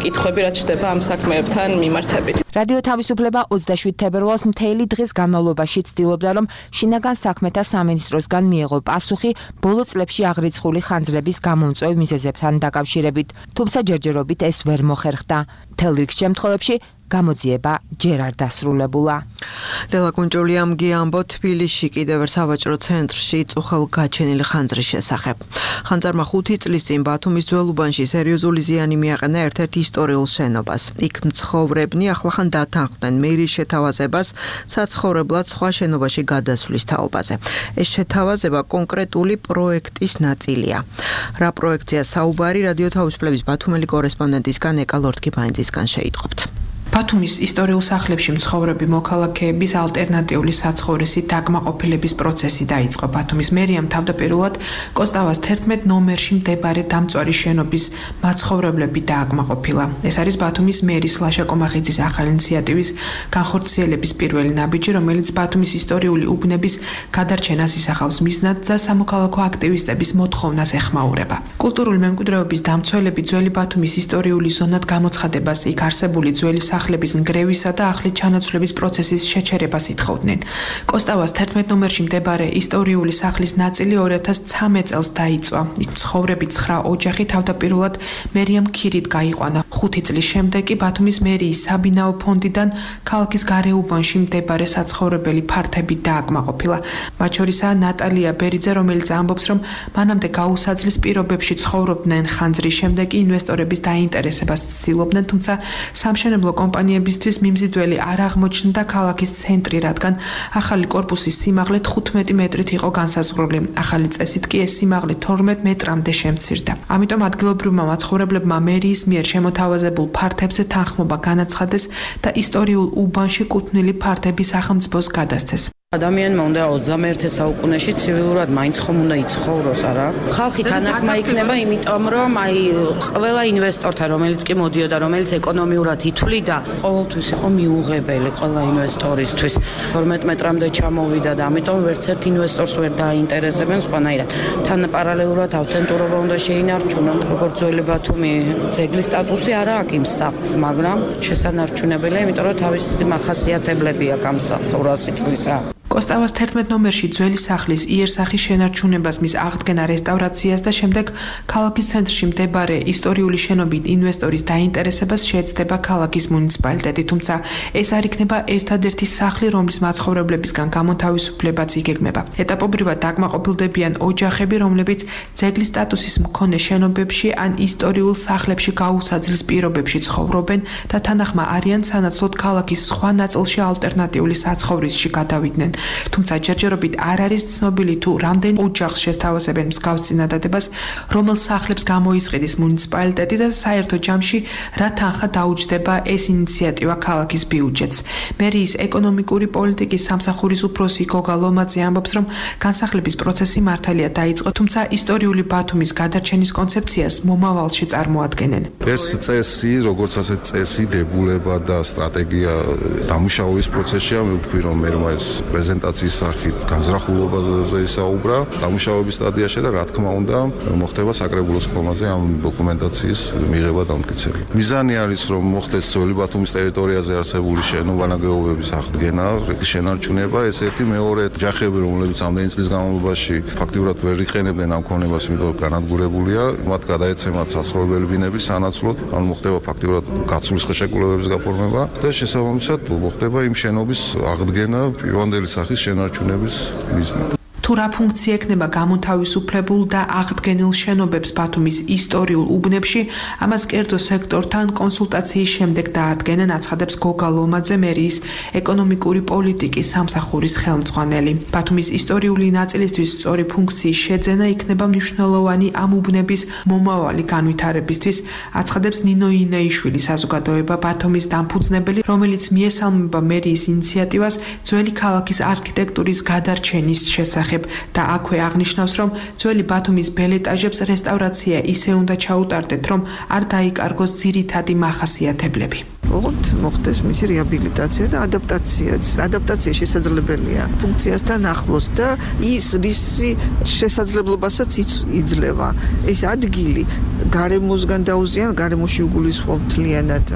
კითხვები, რაც ჩნდება ამ საქმეებთან მიმართებით. რადიო თავისუფლება ოცდაშვიდ თებერვალს მთელი დღის განმავლობაში ცდილობდა, რომ შინაგან საქმეთა სამინისტროსგან მიეღო პასუხი ბოლო წლებში აღრიცხული ხანძრების გამომწვევ მიზეზებთან დაკავშირებით, თუმცა ჯერჯერობით ეს ვერ მოხერხდა. მთელ რიგ შემთხვევებში გამოძიება ჯერ არ დასრულებულა. ლელა კუნჭული ამგიამბო თბილისში კიდევ ერთ სავაჭრო ცენტრში წუხელ გაჩენილი ხანძრის შესახებ. ხანძარმა ხუთი წლის წინ ბათუმის ძველუბანში სერიოზული ზიანი მიაყენა ერთ-ერთ ისტორიულ შენობას. იქ მცხოვრებნი ახლახან დათანხმდნენ მერიის შეთავაზებას საცხოვრებლად სხვა შენობაში გადასვლის თაობაზე. ეს შეთავაზება კონკრეტული პროექტის ნაწილია. რა პროექტია საუბარი, რადიო თავისუფლების ბათუმელი კორესპონდენტისგან ეკა ლორთქიფანიძისგან შეიტყობთ. ბათუმის ისტორიულ სახლებში მცხოვრები მოქალაქეების ალტერნატიული საცხოვრისი დაკმაყოფილების პროცესი დაიწყო. ბათუმის მერიამ თავდაპირველად კოსტავას თერთმეტ ნომერში მდებარე დამწვარი შენობის მაცხოვრებლები დააკმაყოფილა. ეს არის ბათუმის მერის ლაშა კომახიძის ახალი ინიციატივის განხორციელების პირველი ნაბიჯი, რომელიც ბათუმის ისტორიული უბნების გადარჩენას ისახავს მიზნად და სამოქალაქო აქტივისტების მოთხოვნას ეხმაურება. კულტურული მემკვიდრეობის დამცველები ძველი ბათუმის ისტორიული ზონად გამოცხადებას, იქ არსებული ძველი სახლების ნგრევისა და ახლით ჩანაცვლების პროცესის შეჩერებას ითხოვდნენ. კოსტავას თერთმეტ ნომერში მდებარე ისტორიული სახლის ნაწილი ორი ათას ცხრამეტ წელს დაიწვა. იქ მცხოვრები ცხრა ოჯახი თავდაპირველად მერიამ ქირით გაიყვანა. ხუთი წლის შემდეგ კი ბათუმის მერიის საბინაო ფონდიდან ქალაქის გარეუბანში მდებარე საცხოვრებელი ფართები დააკმაყოფილა. მათ შორისაა ნატალია ბერიძე, რომელიც ამბობს, რომ მანამდე გაუსაძლის პირობებში ცხოვრობდნენ, ხანძრის შემდეგ კი ინვესტორების დაინტერესებას ცდილობდნენ, თუმცა სამშენებლო კომპანიებისთვის მიმზიდველი არ აღმოჩნდა ქალაქის ცენტრი, რადგან ახალი კორპუსის სიმაღლე თხუთმეტი მეტრით იყო განსაზღვრული. ახალი წესით კი ეს სიმაღლე თორმეტ მეტრამდე შემცირდა. ამიტომ ადგილობრივმა მაცხოვრებლებმა მერიის მიერ შემოთავაზებულ ფართებზე თანხმობა განაცხადეს და ისტორიულ უბანში კუთვნილი ფართები სახელმწიფოს გადასცეს. ადამიანმა უნდა ოცდამეერთე საუკუნეში ცივილურად მაინც ხომ უნდა იცხოვროს, არა? ხალხი თანახმა იქნება, იმიტომ რომ აი ყველა ინვესტორთან, რომელიც კი მოდიოდა, რომელიც ეკონომიურად ითვლიდა, ყოველთვის იყო მიუღებელი ყველა ინვესტორისთვის. თორმეტ მეტრამდე ჩამოვიდა და ამიტომ ვერც ერთ ინვესტორს ვერ დაინტერესებენ სხვანაირად. თან პარალელურად ავთენტურობა უნდა შეინარჩუნონ, როგორც ძველი ბათუმი ძეგლის სტატუსი არა აქვს იმ სახლს, მაგრამ შესანარჩუნებელია, იმიტომ რომ თავისი მახასიათებლები აქვს ამ სახლს ორასი წლისა. კოსტავას თერთმეტ ნომერში ძველი სახლის იერსახის შენარჩუნებას, მის აღდგენა, რესტავრაციას და შემდეგ ქალაქის ცენტრში მდებარე ისტორიული შენობით ინვესტორის დაინტერესებას შეეცდება ქალაქის მუნიციპალიტეტი, თუმცა ეს არ იქნება ერთადერთი სახლი, რომლის მაცხოვრებლებისგან გამოთავისუფლებაც იგეგმება. ეტაპობრივად დაკმაყოფილდებიან ოჯახები, რომლებიც ძეგლის სტატუსის მქონე შენობებში ან ისტორიულ სახლებში გაუსაძლის პირობებში ცხოვრობენ და თანახმა არიან სანაცვლოდ ქალაქის სხვა ნაწილში ალტერნატიული საცხოვრისში გადავიდნენ. თუმცა ჯერჯერობით არ არის ცნობილი თუ რამდენ ოჯახს შესთავაზებენ მსგავს წინადადებას, რომელ სახლებს გამოისყიდის მუნიციპალიტეტი და საერთო ჯამში რა თანხა დაუჯდება ეს ინიციატივა ქალაქის ბიუჯეტს. მერიის ეკონომიკური პოლიტიკის სამსახურის უფროსი გოგა ლომაძე ამბობს, რომ განსახლების პროცესი მართალია დაიწყო, თუმცა ისტორიული ბათუმის გადარჩენის კონცეფციას მომავალში წარმოადგენენ. ეს წესი, როგორც ასეთ წესი, დებულება და სტრატეგია დამუშავების პროცესშია, მე ვთქვი, რომ მერმა ეს პრეზენტაციის სახით განზრახულობაზე ისაუბრა დამუშავების სტადიაში და რა თქმა უნდა მოხდება საკრებულოს ხომაზე ამ დოკუმენტაციის მიღება და ამტკიცება. მიზანი არის რომ მოხდეს ძველი ბათუმის ტერიტორიაზე არსებული შენობანაგეობების აღდგენა, შენარჩუნება, ეს ერთი, მეორე ჯახები, რომლებიც ამდენი წლის განმავლობაში ფაქტიურად ვერ იყენებდნენ ამ ქონებას, იმიტომ რომ განადგურებულია, მათ გადაეცემათ საცხოვრებელი ბინები სანაცვლოდ, ან მოხდება ფაქტიურად გაცვლის ხელშეკრულებების გაფორმება და შესაბამისად მოხდება იმ შენობის აღდგენა პირვანდელი სახის შენარჩუნების მიზნით. თუ რა ფუნქცია ექნება გამოთავისუფლებულ და აღდგენილ შენობებს ბათუმის ისტორიულ უბნებში, ამას კერძო სექტორთან კონსულტაციის შემდეგ დაადგენენ, აცხადებს გოგა ლომაძე, მერიის ეკონომიკური პოლიტიკის სამსახურის ხელმძღვანელი. ბათუმის ისტორიული ნაწილისთვის სწორი ფუნქციის შეძენა იქნება მნიშვნელოვანი ამ უბნების მომავალი განვითარებისთვის, აცხადებს ნინო ინეიშვილი, საზოგადოება ბათუმის დამფუძნებელი, რომელიც მიესალმება მერიის ინიციატივას ძველი ქალაქის არქიტექტურის გადარჩენის შესახებ. და აქვე აღნიშნავს, რომ ძველი ბათუმის ბელ ეტაჟებს რესტავრაცია ისე უნდა ჩაუტარდეთ, რომ არ დაიკარგოს ძირითადი მახასიათებლები. ოღონდ მოხდეს მისი რეაბილიტაცია და ადაპტაციაც. ადაპტაცია შესაძლებელია ფუნქციასთან ახლოს და ის რისი შესაძლებლობასაც იძლევა. ეს ადგილი გარემოსგან დაუზიან, გარემოში უგულისხმობ მთლიანად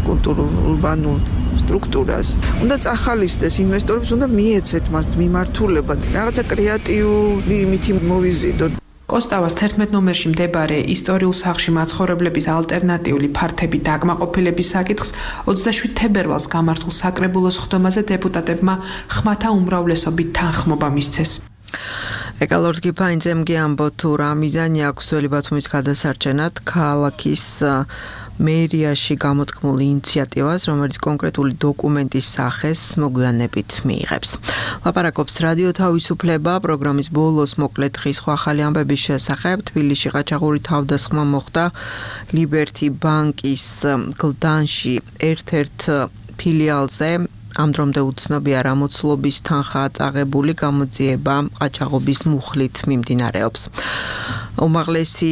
კულტურულ ურბანულ სტრუქტურას. უნდა წახალისდეს ინვესტორებს, უნდა მიეცეთ მას მიმართულება, რაღაცა კრეატიული იმითი მოვიზიდოთ. კოსტავას თერთმეტ ნომერში მდებარე ისტორიულ სახლში მაცხოვრებლების ალტერნატიული ფართები დაკმაყოფილების საკითხს ოცდაშვიდ თებერვალს გამართულ საკრებულოს ხდომაზე დეპუტატებმა ხმათა უმრავლესობით თანხმობა მისცეს. ეკალორდ გიფაინძემ კი ამბობთ, თუ რა მიზანი აქვს ძველი ბათუმის გადასარჩენად ქალაქის მერიაში გამოთქმული ინიციატივას, რომელიც კონკრეტული დოკუმენტის სახეს მოგვიანებით მიიღებს. ლაპარაკობს რადიო თავისუფლება, პროგრამის ბოლოს მოკლედ დღის სხვა ახალი ამბების შესახებ. თბილისში ყაჩაღური თავდასხმა მოხდა ლიბერტი ბანკის გლდანში ერთ-ერთ ფილიალზე. ამ დრომდე უცნობია რა მოცულობის თანხაა წაღებული, გამოძიება ყაჩაღობის მუხლით მიმდინარეობს. უმაღლესი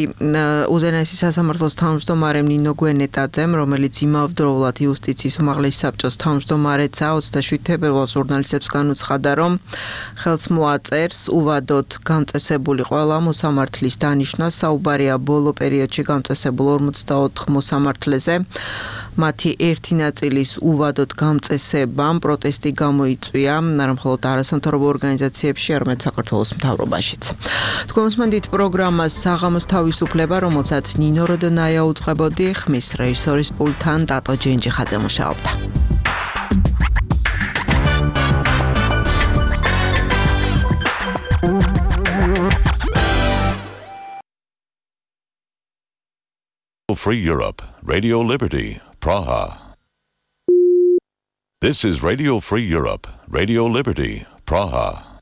უზენაესი სასამართლოს თავმჯდომარე ნინო გვენეტაძემ, რომელიც იმავდროულად იუსტიციის უმაღლესი საბჭოს თავმჯდომარეცა, ოცდაშვიდ თებერვალს ჟურნალისტებს განუცხადა, რომ ხელს მოაწერს უვადოდ გამწესებული ყველა მოსამართლის დანიშვნა. საუბარია ბოლო პერიოდში გამწესებულ ორმოცდაოთხ მოსამართლეზე. მათი ერთი ნაწილის უვადოდ გამწესებამ პროტესტი გამოიწვია, არა მხოლოდ არასამთავრობო ორგანიზაციებში, არამედ საქართველოს მთავრობაშიც. თქვენსმენდით პროგრამას საღამოს თავისუფლება, რომელსაც ნინო როდონაია უძღვებოდი, ხმის რეჟისორის პულტთან ტატო ჯენჯიხაძე მუშაობდა. Free Europe, Radio Liberty, Praha. This is Radio Free Europe, Radio Liberty, Praha.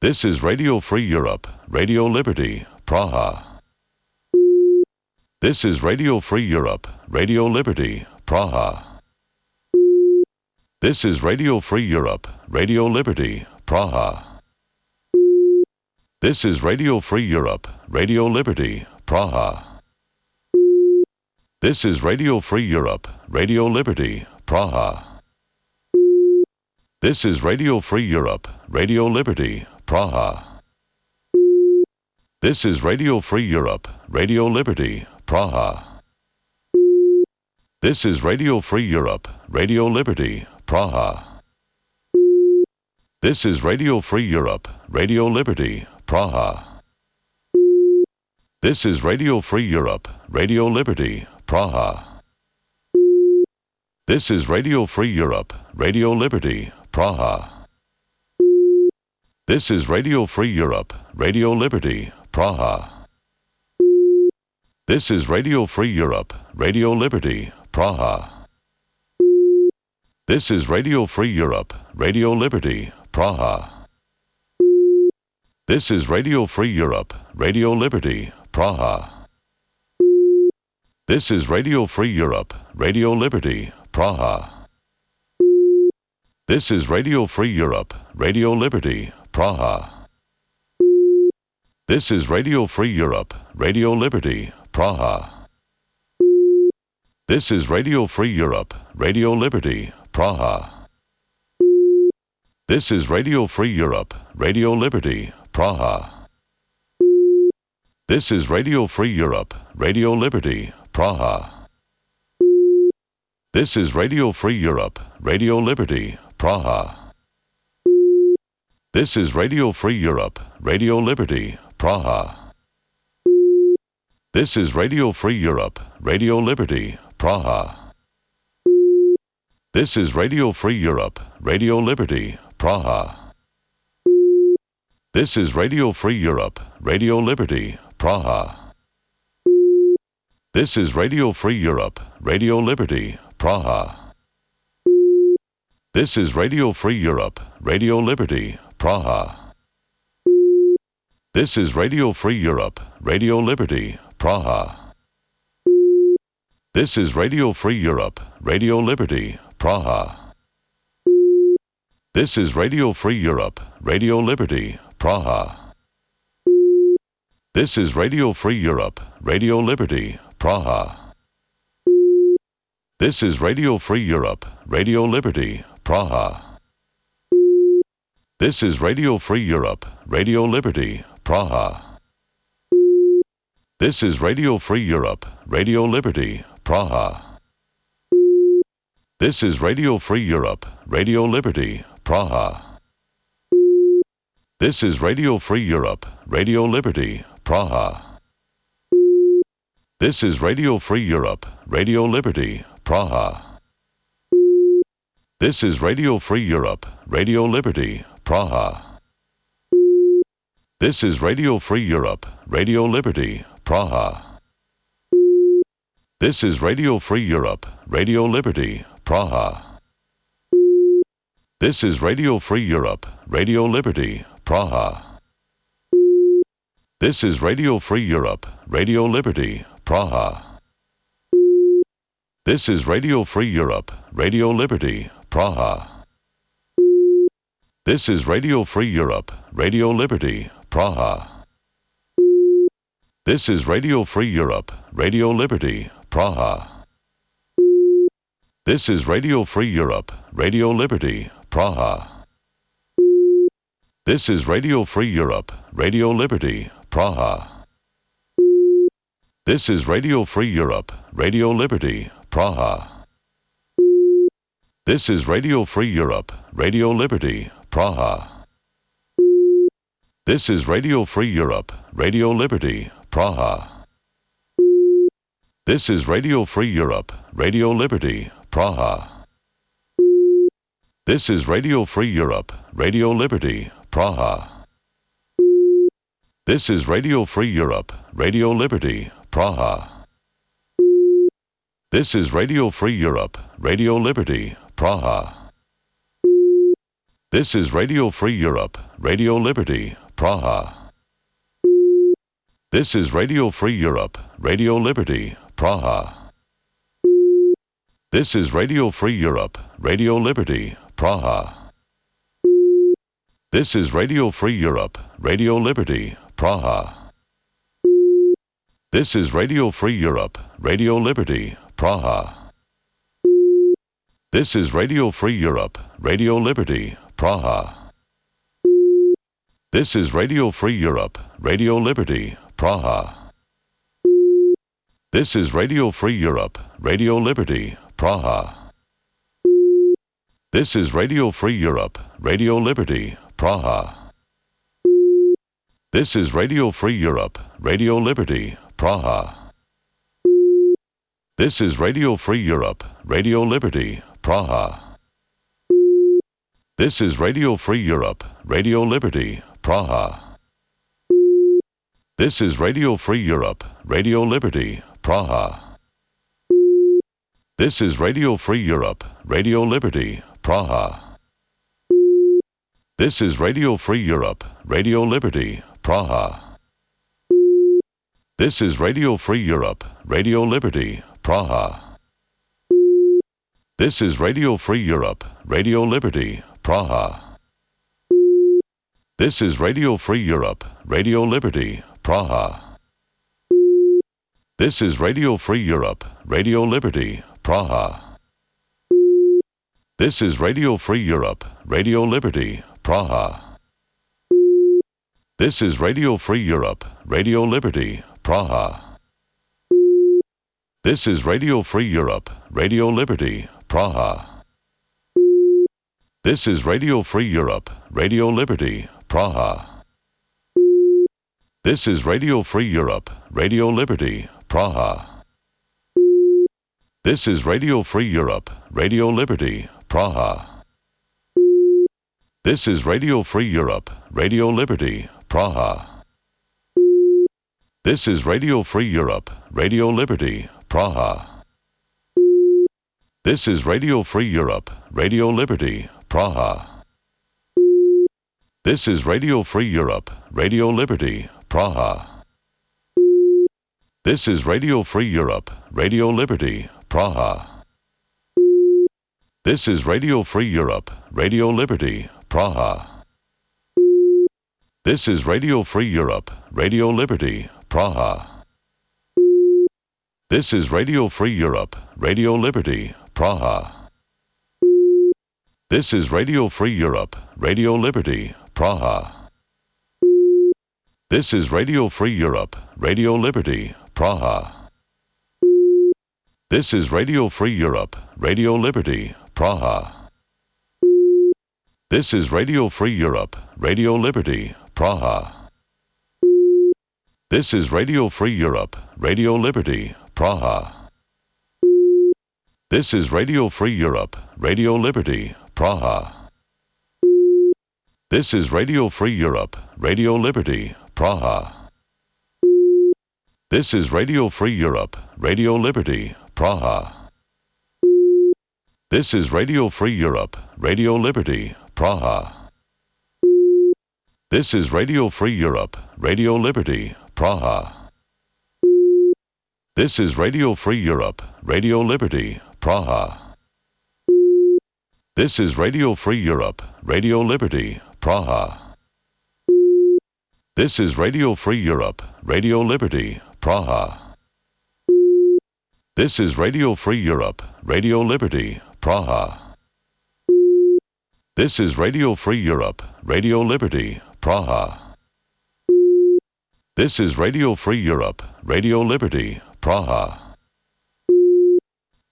This is Radio Free Europe, Radio Liberty, Praha. This is Radio Free Europe, Radio Liberty, Praha. This is Radio Free Europe, Radio Liberty, Praha. This is Radio Free Europe, Radio Liberty, Praha. This is Radio Free Europe, Radio Liberty, Praha. This is Radio Free Europe, Radio Liberty, Praha. This is Radio Free Europe, Radio Liberty, Praha. This is Radio Free Europe, Radio Liberty, Praha. This is Radio Free Europe, Radio Liberty, Praha. This is Radio Free Europe, Radio Liberty, Praha. This is Radio Free Europe, Radio Liberty, Praha. This is Radio Free Europe, Radio Liberty, Praha. This is Radio Free Europe, Radio Liberty, Praha. This is Radio Free Europe, Radio Liberty, Praha. This is Radio Free Europe, Radio Liberty, Praha. This is Radio Free Europe, Radio Liberty, Praha. This is Radio Free Europe, Radio Liberty, Praha. This is Radio Free Europe, Radio Liberty, Praha. This is Radio Free Europe, Radio Liberty, Praha. This is Radio Free Europe, Radio Liberty, Praha. This is Radio Free Europe, Radio Liberty, Praha. This is Radio Free Europe, Radio Liberty, Praha. This is Radio Free Europe, Radio Liberty, Praha. This is Radio Free Europe, Radio Liberty, Praha. This is Radio Free Europe, Radio Liberty, Praha. This is Radio Free Europe, Radio Liberty, Praha. This is Radio Free Europe, Radio Liberty, Praha. This is Radio Free Europe, Radio Liberty, Praha. This is Radio Free Europe, Radio Liberty, Praha. This is Radio Free Europe, Radio Liberty, Praha. This is Radio Free Europe, Radio Liberty, Praha. This is Radio Free Europe, Radio Liberty, Praha. This is Radio Free Europe, Radio Liberty, Praha. This is Radio Free Europe, Radio Liberty, Praha. This is Radio Free Europe, Radio Liberty, Praha. This is Radio Free Europe, Radio Liberty, Praha. This is Radio Free Europe, Radio Liberty, Praha. This is Radio Free Europe, Radio Liberty, Praha. This is Radio Free Europe, Radio Liberty, Praha. This is Radio Free Europe, Radio Liberty, Praha. This is Radio Free Europe, Radio Liberty, Praha. This is Radio Free Europe, Radio Liberty, Praha. This is Radio Free Europe, Radio Liberty, Praha. This is Radio Free Europe, Radio Liberty, Praha. This is Radio Free Europe, Radio Liberty, Praha. This is Radio Free Europe, Radio Liberty, Praha. This is Radio Free Europe, Radio Liberty, Praha. This is Radio Free Europe, Radio Liberty, Praha. This is Radio Free Europe, Radio Liberty, Praha. This is Radio Free Europe, Radio Liberty, Praha. This is Radio Free Europe, Radio Liberty, Praha. This is Radio Free Europe, Radio Liberty, Praha. This is Radio Free Europe, Radio Liberty, Praha. This is Radio Free Europe, Radio Liberty, Praha. This is Radio Free Europe, Radio Liberty, Praha. This is Radio Free Europe, Radio Liberty, Praha. This is Radio Free Europe, Radio Liberty, Praha. This is Radio Free Europe, Radio Liberty, Praha. This is Radio Free Europe, Radio Liberty, Praha. This is Radio Free Europe, Radio Liberty, Praha. This is Radio Free Europe, Radio Liberty, Praha. This is Radio Free Europe, Radio Liberty, Praha. This is Radio Free Europe, Radio Liberty, Praha. This is Radio Free Europe, Radio Liberty, Praha. This is Radio Free Europe, Radio Liberty, Praha. This is Radio Free Europe, Radio Liberty, Praha. This is Radio Free Europe, Radio Liberty, Praha. This is Radio Free Europe, Radio Liberty, Praha. This is Radio Free Europe, Radio Liberty, Praha. This is Radio Free Europe, Radio Liberty, Praha. This is Radio Free Europe, Radio Liberty, Praha. This is Radio Free Europe, Radio Liberty, Praha. This is Radio Free Europe, Radio Liberty, Praha. This is Radio Free Europe, Radio Liberty, Praha. This is Radio Free Europe, Radio Liberty, Praha. This is Radio Free Europe, Radio Liberty, Praha. This is Radio Free Europe, Radio Liberty, Praha. This is Radio Free Europe, Radio Liberty, Praha. This is Radio Free Europe, Radio Liberty, Praha. This is Radio Free Europe, Radio Liberty, Praha. This is Radio Free Europe, Radio Liberty, Praha. This is Radio Free Europe, Radio Liberty, Praha. This is Radio Free Europe, Radio Liberty, Praha. This is Radio Free Europe, Radio Liberty, Praha. This is Radio Free Europe, Radio Liberty, Praha. This is Radio Free Europe, Radio Liberty, Praha. This is Radio Free Europe, Radio Liberty, Praha. This is Radio Free Europe, Radio Liberty, Praha. This is Radio Free Europe, Radio Liberty, Praha. This is Radio Free Europe, Radio Liberty, Praha. This is Radio Free Europe, Radio Liberty, Praha. This is Radio Free Europe, Radio Liberty, Praha. This is Radio Free Europe, Radio Liberty, Praha. This is Radio Free Europe, Radio Liberty, Praha. This is Radio Free Europe, Radio Liberty, Praha. This is Radio Free Europe, Radio Liberty, Praha. This is Radio Free Europe, Radio Liberty, Praha. This is Radio Free Europe, Radio Liberty, Praha. This is Radio Free Europe, Radio Liberty, Praha. This is Radio Free Europe, Radio Liberty, Praha. This is Radio Free Europe, Radio Liberty, Praha. This is Radio Free Europe, Radio Liberty, Praha. This is Radio Free Europe, Radio Liberty, Praha. This is Radio Free Europe, Radio Liberty, Praha.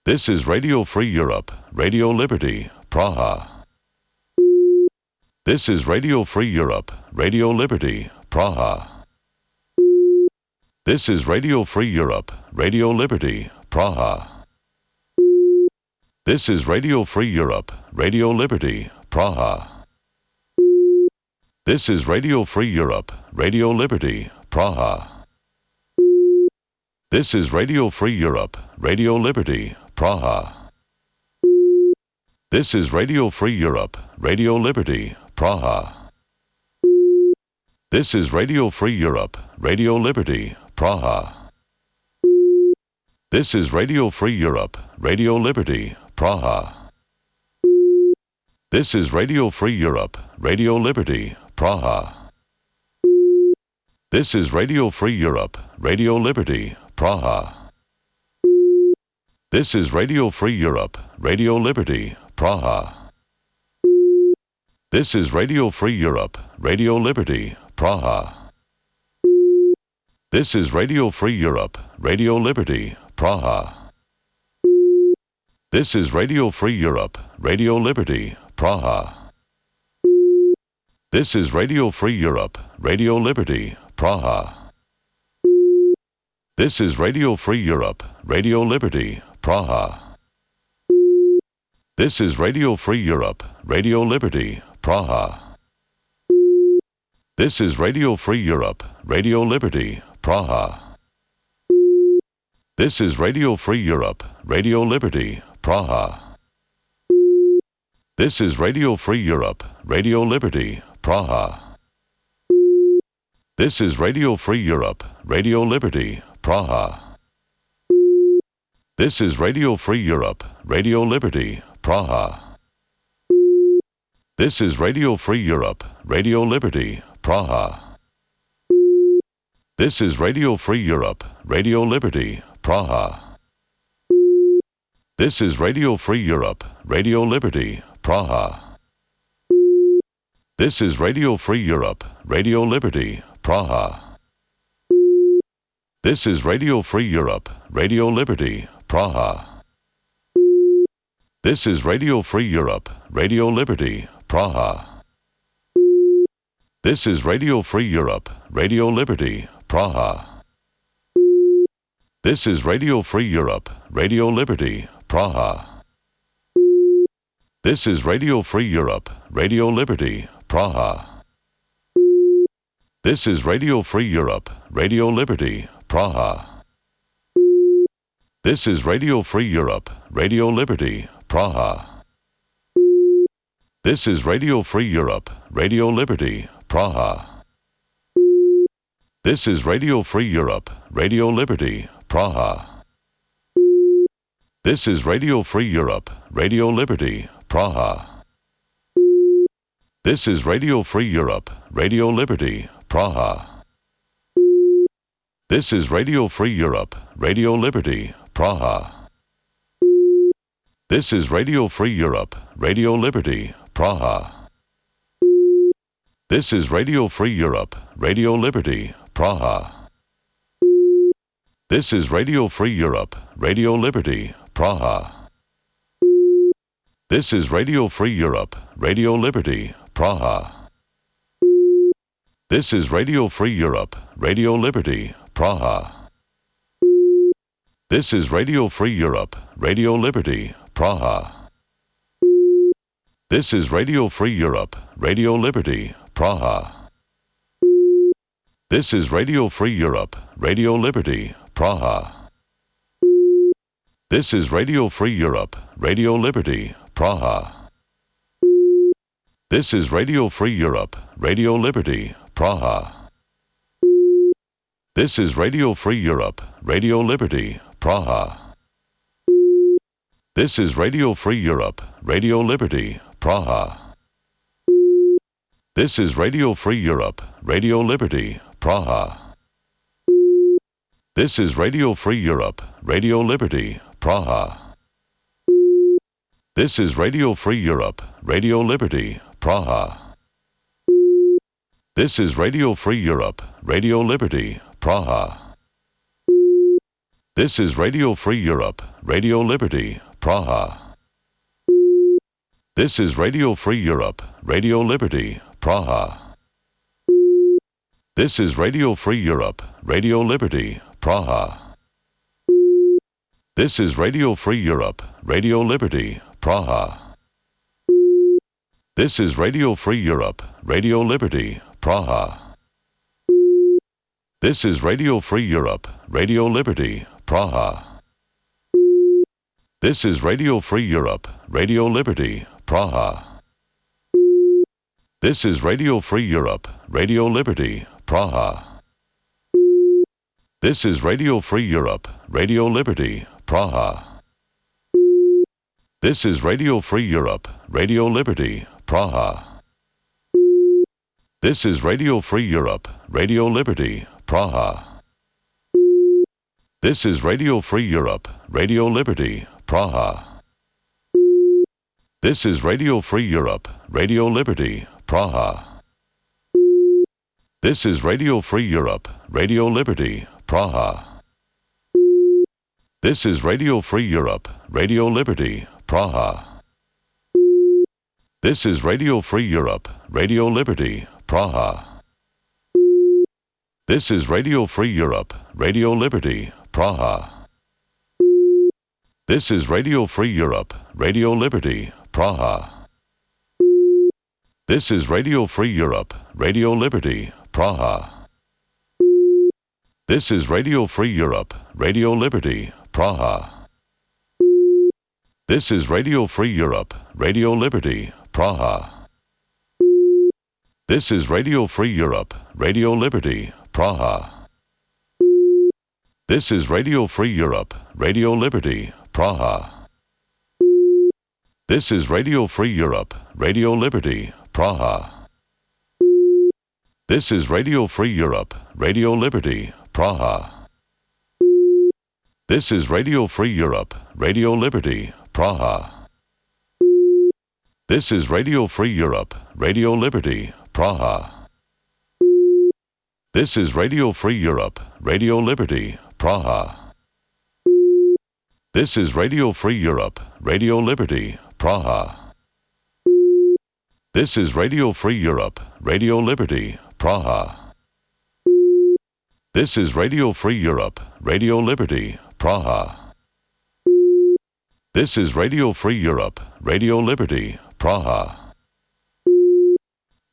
This is Radio Free Europe, Radio Liberty, Praha. This is Radio Free Europe, Radio Liberty, Praha. This is Radio Free Europe, Radio Liberty, Praha. This is Radio Free Europe, Radio Liberty, Praha. This is Radio Free Europe, Radio Liberty, Praha. This is Radio Free Europe, Radio Liberty, Praha. This is Radio Free Europe, Radio Liberty, Praha. This is Radio Free Europe, Radio Liberty, Praha. This is Radio Free Europe, Radio Liberty, Praha. This is Radio Free Europe, Radio Liberty, Praha. This is Radio Free Europe, Radio Liberty, Praha. This is Radio Free Europe, Radio Liberty, Praha. This is Radio Free Europe, Radio Liberty, Praha. This is Radio Free Europe, Radio Liberty, Praha. This is Radio Free Europe, Radio Liberty, Praha. This is Radio Free Europe, Radio Liberty, Praha. This is Radio Free Europe, Radio Liberty, Praha. This is Radio Free Europe, Radio Liberty, Praha. This is Radio Free Europe, Radio Liberty, Praha. This is Radio Free Europe, Radio Liberty, Praha. This is Radio Free Europe, Radio Liberty, Praha. This is Radio Free Europe, Radio Liberty, Praha. This is Radio Free Europe, Radio Liberty, Praha. This is Radio Free Europe, Radio Liberty, Praha. This is Radio Free Europe, Radio Liberty, Praha. This is Radio Free Europe, Radio Liberty, Praha. This is Radio Free Europe, Radio Liberty, Praha. This is Radio Free Europe, Radio Liberty, Praha. This is Radio Free Europe, Radio Liberty, Praha. This is Radio Free Europe, Radio Liberty, Praha. This is Radio Free Europe, Radio Liberty, Praha. This is Radio Free Europe, Radio Liberty, Praha. This is Radio Free Europe, Radio Liberty, Praha. This is Radio Free Europe, Radio Liberty, Praha. This is Radio Free Europe, Radio Liberty, Praha. This is Radio Free Europe, Radio Liberty, Praha. This is Radio Free Europe, Radio Liberty, Praha. This is Radio Free Europe, Radio Liberty, Praha. This is Radio Free Europe, Radio Liberty, Praha. This is Radio Free Europe, Radio Liberty, Praha. This is Radio Free Europe, Radio Liberty, Praha. This is Radio Free Europe, Radio Liberty, Praha. This is Radio Free Europe, Radio Liberty, Praha. This is Radio Free Europe, Radio Liberty, Praha. This is Radio Free Europe, Radio Liberty, Praha. This is Radio Free Europe, Radio Liberty, Praha. This is Radio Free Europe, Radio Liberty, Praha. This is Radio Free Europe, Radio Liberty, Praha. This is Radio Free Europe, Radio Liberty, Praha. This is Radio Free Europe, Radio Liberty, Praha. This is Radio Free Europe, Radio Liberty, Praha. This is Radio Free Europe, Radio Liberty, Praha. This is Radio Free Europe, Radio Liberty, Praha. This is Radio Free Europe, Radio Liberty, Praha. This is Radio Free Europe, Radio Liberty, Praha. This is Radio Free Europe, Radio Liberty, Praha. This is Radio Free Europe, Radio Liberty, Praha. This is Radio Free Europe, Radio Liberty, Praha. This is Radio Free Europe, Radio Liberty, Praha. This is Radio Free Europe, Radio Liberty, Praha. This is Radio Free Europe, Radio Liberty, Praha. This is Radio Free Europe, Radio Liberty, Praha. This is Radio Free Europe, Radio Liberty, Praha. This is Radio Free Europe, Radio Liberty, Praha. This is Radio Free Europe, Radio Liberty, Praha. This is Radio Free Europe, Radio Liberty, Praha. This is Radio Free Europe, Radio Liberty, Praha. This is Radio Free Europe, Radio Liberty, Praha. This is Radio Free Europe, Radio Liberty, Praha. This is Radio Free Europe, Radio Liberty, Praha. This is Radio Free Europe, Radio Liberty, Praha. This is Radio Free Europe, Radio Liberty, Praha. This is Radio Free Europe, Radio Liberty, Praha. This is Radio Free Europe, Radio Liberty, Praha. This is Radio Free Europe, Radio Liberty, Praha. This is Radio Free Europe, Radio Liberty, Praha. This is Radio Free Europe, Radio Liberty, Praha. This is Radio Free Europe, Radio Liberty, Praha. This is Radio Free Europe, Radio Liberty, Praha. This is Radio Free Europe, Radio Liberty, Praha. This is Radio Free Europe, Radio Liberty, Praha. This is Radio Free Europe, Radio Liberty, Praha. This is Radio Free Europe, Radio Liberty, Praha. This is Radio Free Europe, Radio Liberty, Praha. This is Radio Free Europe, Radio Liberty, Praha. This is Radio Free Europe, Radio Liberty, Praha. This is Radio Free Europe, Radio Liberty, Praha.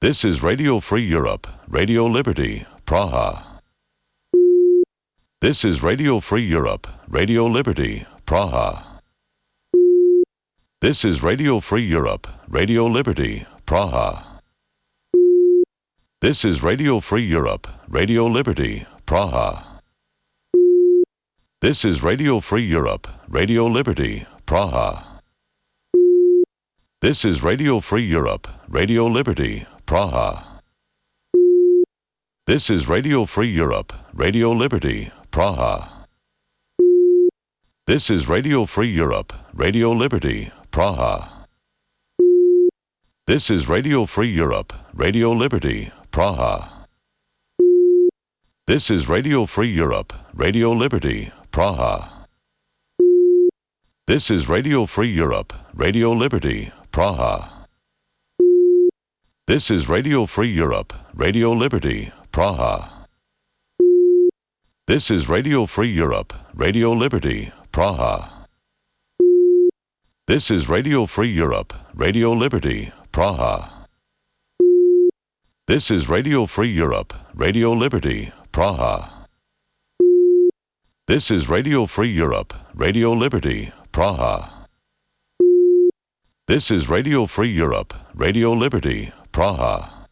This is Radio Free Europe, Radio Liberty, Praha. This is Radio Free Europe, Radio Liberty, Praha. This is Radio Free Europe, Radio Liberty, Praha. This is Radio Free Europe, Radio Liberty, Praha. This is Radio Free Europe, Radio Liberty, Praha. This is Radio Free Europe, Radio Liberty, Praha. This is Radio Free Europe, Radio Liberty, Praha. This is Radio Free Europe, Radio Liberty, Praha. This is Radio Free Europe, Radio Liberty, Praha. This is Radio Free Europe, Radio Liberty, Praha. This is Radio Free Europe, Radio Liberty, Praha. This is Radio Free Europe, Radio Liberty, Praha. This is Radio Free Europe, Radio Liberty, Praha. This is Radio Free Europe, Radio Liberty, Praha. This is Radio Free Europe, Radio Liberty, Praha. This is Radio Free Europe, Radio Liberty, Praha. This is Radio Free Europe, Radio Liberty, Praha.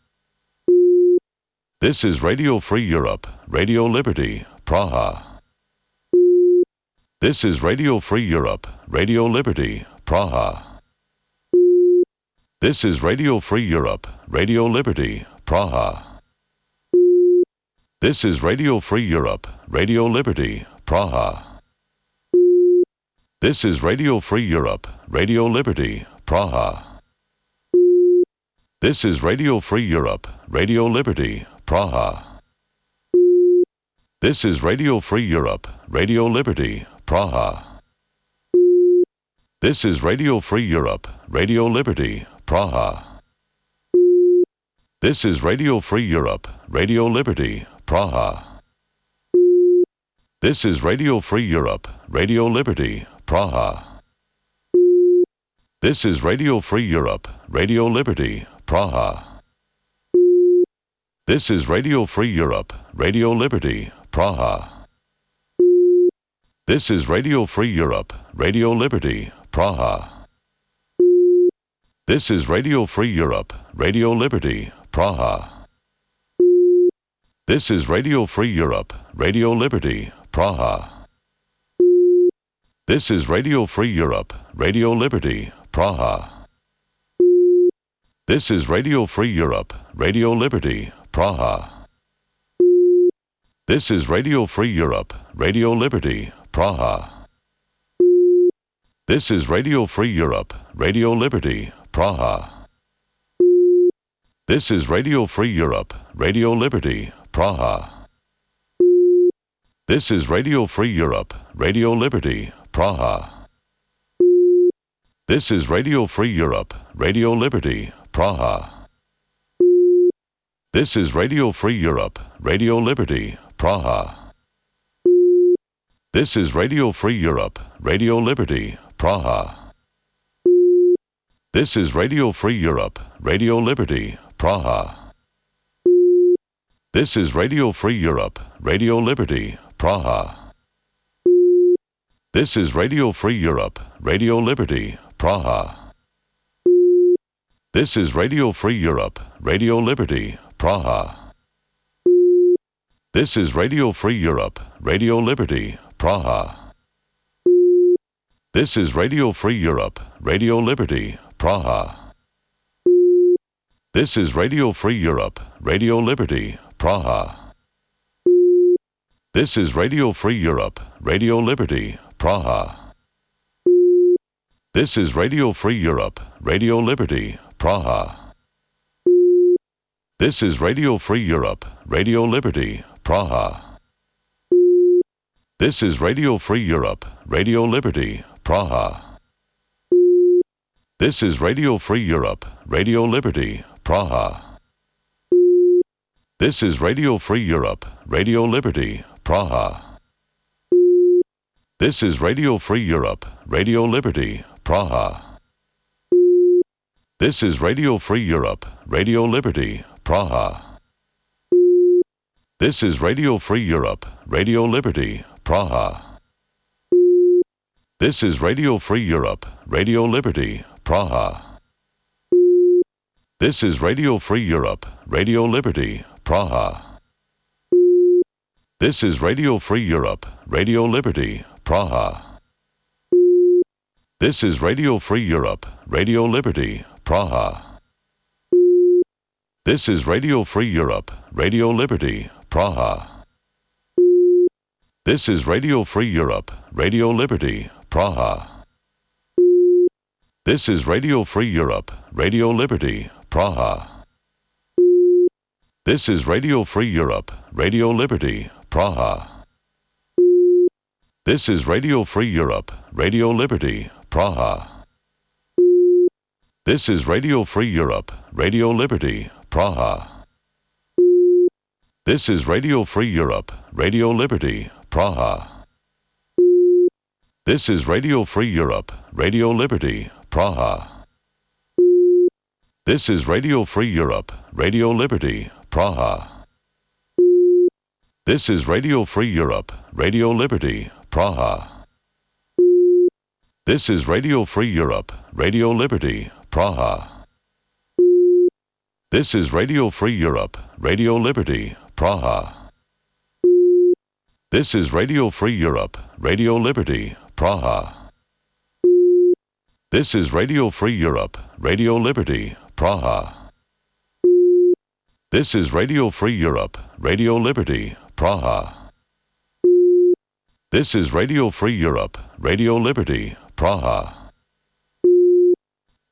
This is Radio Free Europe, Radio Liberty, Praha. This is Radio Free Europe, Radio Liberty, Praha. This is Radio Free Europe, Radio Liberty, Praha. This is Radio Free Europe, Radio Liberty, Praha. This is Radio Free Europe, Radio Liberty, Praha. This is Radio Free Europe, Radio Liberty, Praha. This is Radio Free Europe, Radio Liberty, Praha. This is Radio Free Europe, Radio Liberty, Praha. This is Radio Free Europe, Radio Liberty, Praha. This is Radio Free Europe, Radio Liberty, Praha. This is Radio Free Europe, Radio Liberty, Praha. This is Radio Free Europe, Radio Liberty, Praha. This is Radio Free Europe, Radio Liberty, Praha. This is Radio Free Europe, Radio Liberty, Praha. This is Radio Free Europe, Radio Liberty, Praha. This is Radio Free Europe, Radio Liberty, Praha. This is Radio Free Europe, Radio Liberty, Praha. This is Radio Free Europe, Radio Liberty, Praha. This is Radio Free Europe, Radio Liberty, Praha. This is Radio Free Europe, Radio Liberty, Praha. This is Radio Free Europe, Radio Liberty, Praha. This is Radio Free Europe, Radio Liberty, Praha. This is Radio Free Europe, Radio Liberty, Praha. This is Radio Free Europe, Radio Liberty, Praha. This is Radio Free Europe, Radio Liberty, Praha. This is Radio Free Europe, Radio Liberty, Praha. This is Radio Free Europe, Radio Liberty, Praha. This is Radio Free Europe, Radio Liberty, Praha. This is Radio Free Europe, Radio Liberty, Praha. This is Radio Free Europe, Radio Liberty, Praha. This is Radio Free Europe, Radio Liberty, Praha. This is Radio Free Europe, Radio Liberty, Praha. This is Radio Free Europe, Radio Liberty, Praha. This is Radio Free Europe, Radio Liberty, Praha. This is Radio Free Europe, Radio Liberty, Praha. This is Radio Free Europe, Radio Liberty, Praha. This is Radio Free Europe, Radio Liberty, Praha. This is Radio Free Europe, Radio Liberty, Praha. This is Radio Free Europe, Radio Liberty, Praha. This is Radio Free Europe, Radio Liberty, Praha. This is Radio Free Europe, Radio Liberty, Praha. This is Radio Free Europe, Radio Liberty, Praha. This is Radio Free Europe, Radio Liberty, Praha. This is Radio Free Europe, Radio Liberty, Praha. This is Radio Free Europe, Radio Liberty, Praha. This is Radio Free Europe, Radio Liberty, Praha. This is Radio Free Europe, Radio Liberty, Praha. This is Radio Free Europe, Radio Liberty, Praha. This is Radio Free Europe, Radio Liberty, Praha. This is Radio Free Europe, Radio Liberty, Praha. This is Radio Free Europe, Radio Liberty, Praha. This is Radio Free Europe, Radio Liberty, Praha. This is Radio Free Europe, Radio Liberty, Praha. This is Radio Free Europe, Radio Liberty, Praha. This is Radio Free Europe, Radio Liberty, Praha. This is Radio Free Europe, Radio Liberty, Praha. This is Radio Free Europe, Radio Liberty, Praha. This is Radio Free Europe, Radio Liberty, Praha. This is Radio Free Europe, Radio Liberty, Praha. This is Radio Free Europe, Radio Liberty, Praha.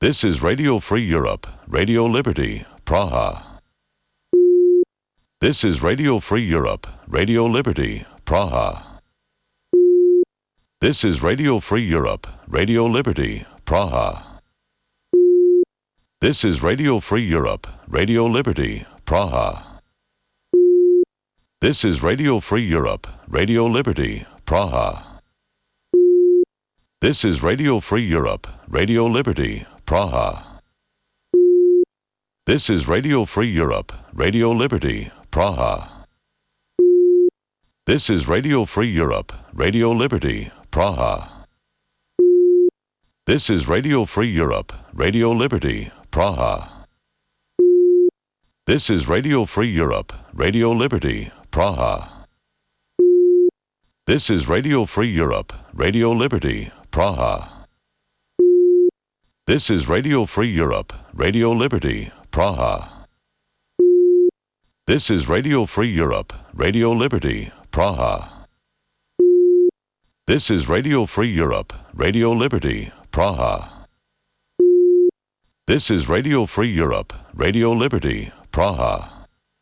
This is Radio Free Europe, Radio Liberty, Praha. This is Radio Free Europe, Radio Liberty, Praha. This is Radio Free Europe, Radio Liberty, Praha. This is Radio Free Europe, Radio Liberty, Praha. This is Radio Free Europe, Radio Liberty, Praha. This is Radio Free Europe, Radio Liberty, Praha. This is Radio Free Europe, Radio Liberty, Praha. This is Radio Free Europe, Radio Liberty, Praha. This is Radio Free Europe, Radio Liberty, Praha. This is Radio Free Europe, Radio Liberty, Praha. This is Radio Free Europe, Radio Liberty, Praha. This is Radio Free Europe, Radio Liberty, Praha. This is Radio Free Europe, Radio Liberty, Praha. This is Radio Free Europe, Radio Liberty, Praha. This is Radio Free Europe, Radio Liberty, Praha.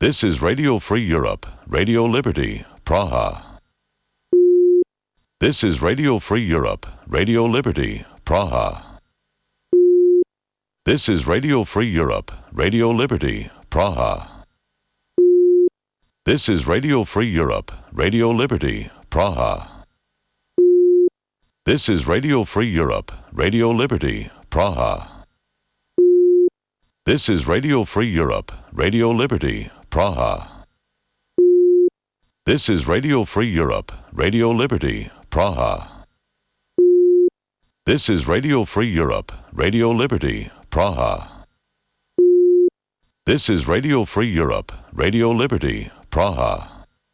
This is Radio Free Europe, Radio Liberty, Praha. This is Radio Free Europe, Radio Liberty, Praha. This is Radio Free Europe, Radio Liberty, Praha. This is Radio Free Europe, Radio Liberty, Praha. This is Radio Free Europe, Radio Liberty, Praha. This is Radio Free Europe, Radio Liberty, Praha. This is Radio Free Europe, Radio Liberty, Praha. This is Radio Free Europe, Radio Liberty, Praha. This is Radio Free Europe, Radio Liberty, Praha.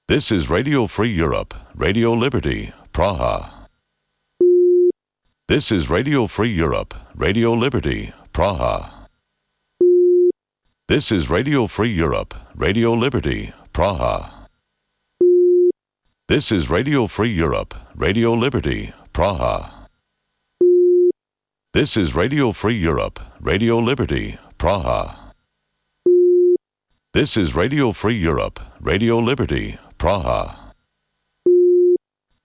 This is Radio Free Europe, Radio Liberty, Praha. This is Radio Free Europe, Radio Liberty, Praha. This is Radio Free Europe, Radio Liberty, Praha. This is Radio Free Europe, Radio Liberty, Praha. This is Radio Free Europe, Radio Liberty, Praha. This is Radio Free Europe, Radio Liberty, Praha.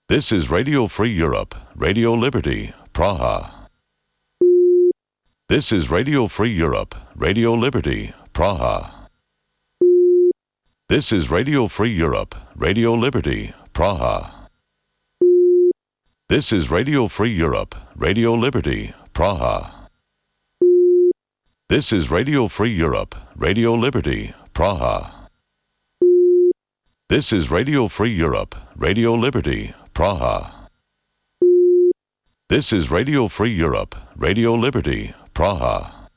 This is Radio Free Europe, Radio Liberty, Praha. This is Radio Free Europe, Radio Liberty, Praha. This is Radio Free Europe, Radio Liberty, Praha. This is Radio Free Europe, Radio Liberty, Praha. This is Radio Free Europe, Radio Liberty, Praha. This is Radio Free Europe, Radio Liberty, Praha. This is Radio Free Europe, Radio Liberty, Praha.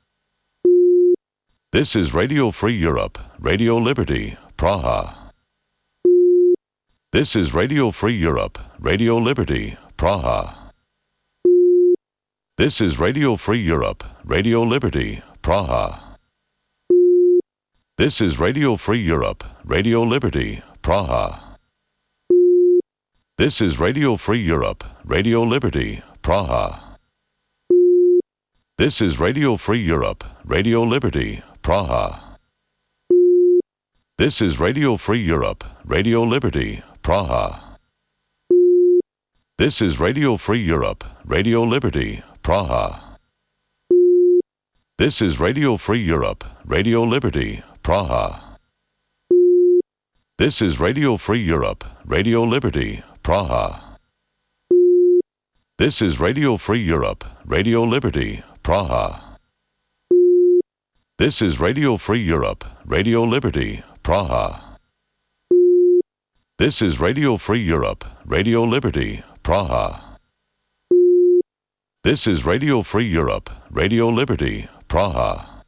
This is Radio Free Europe, Radio Liberty, Praha. This is Radio Free Europe, Radio Liberty, Praha. This is Radio Free Europe, Radio Liberty, Praha. This is Radio Free Europe, Radio Liberty, Praha. This is Radio Free Europe, Radio Liberty, Praha. This is Radio Free Europe, Radio Liberty, Praha. This is Radio Free Europe, Radio Liberty, Praha. This is Radio Free Europe, Radio Liberty, Praha. This is Radio Free Europe, Radio Liberty, Praha. This is Radio Free Europe, Radio Liberty, Praha. This is Radio Free Europe, Radio Liberty, Praha. This is Radio Free Europe, Radio Liberty, Praha. This is Radio Free Europe, Radio Liberty, Praha. This is Radio Free Europe, Radio Liberty, Praha.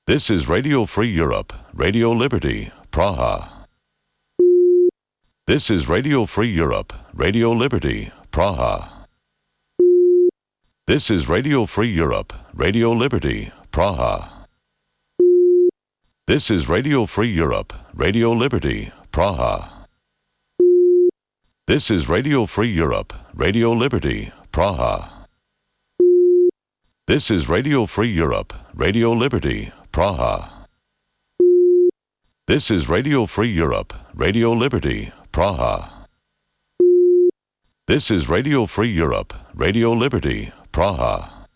This is Radio Free Europe, Radio Liberty, Praha. This is Radio Free Europe, Radio Liberty, Praha. This is Radio Free Europe, Radio Liberty, Praha. This is Radio Free Europe, Radio Liberty, Praha. This is Radio Free Europe, Radio Liberty, Praha. This is Radio Free Europe, Radio Liberty, Praha. This is Radio Free Europe, Radio Liberty, Praha. This is Radio Free Europe, Radio Liberty, Praha.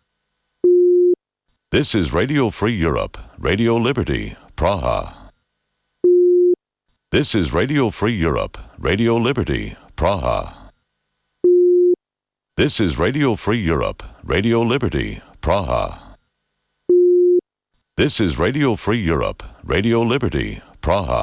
This is Radio Free Europe, Radio Liberty, Praha. This is Radio Free Europe, Radio Liberty, Praha. This is Radio Free Europe, Radio Liberty, Praha. This is Radio Free Europe, Radio Liberty, Praha.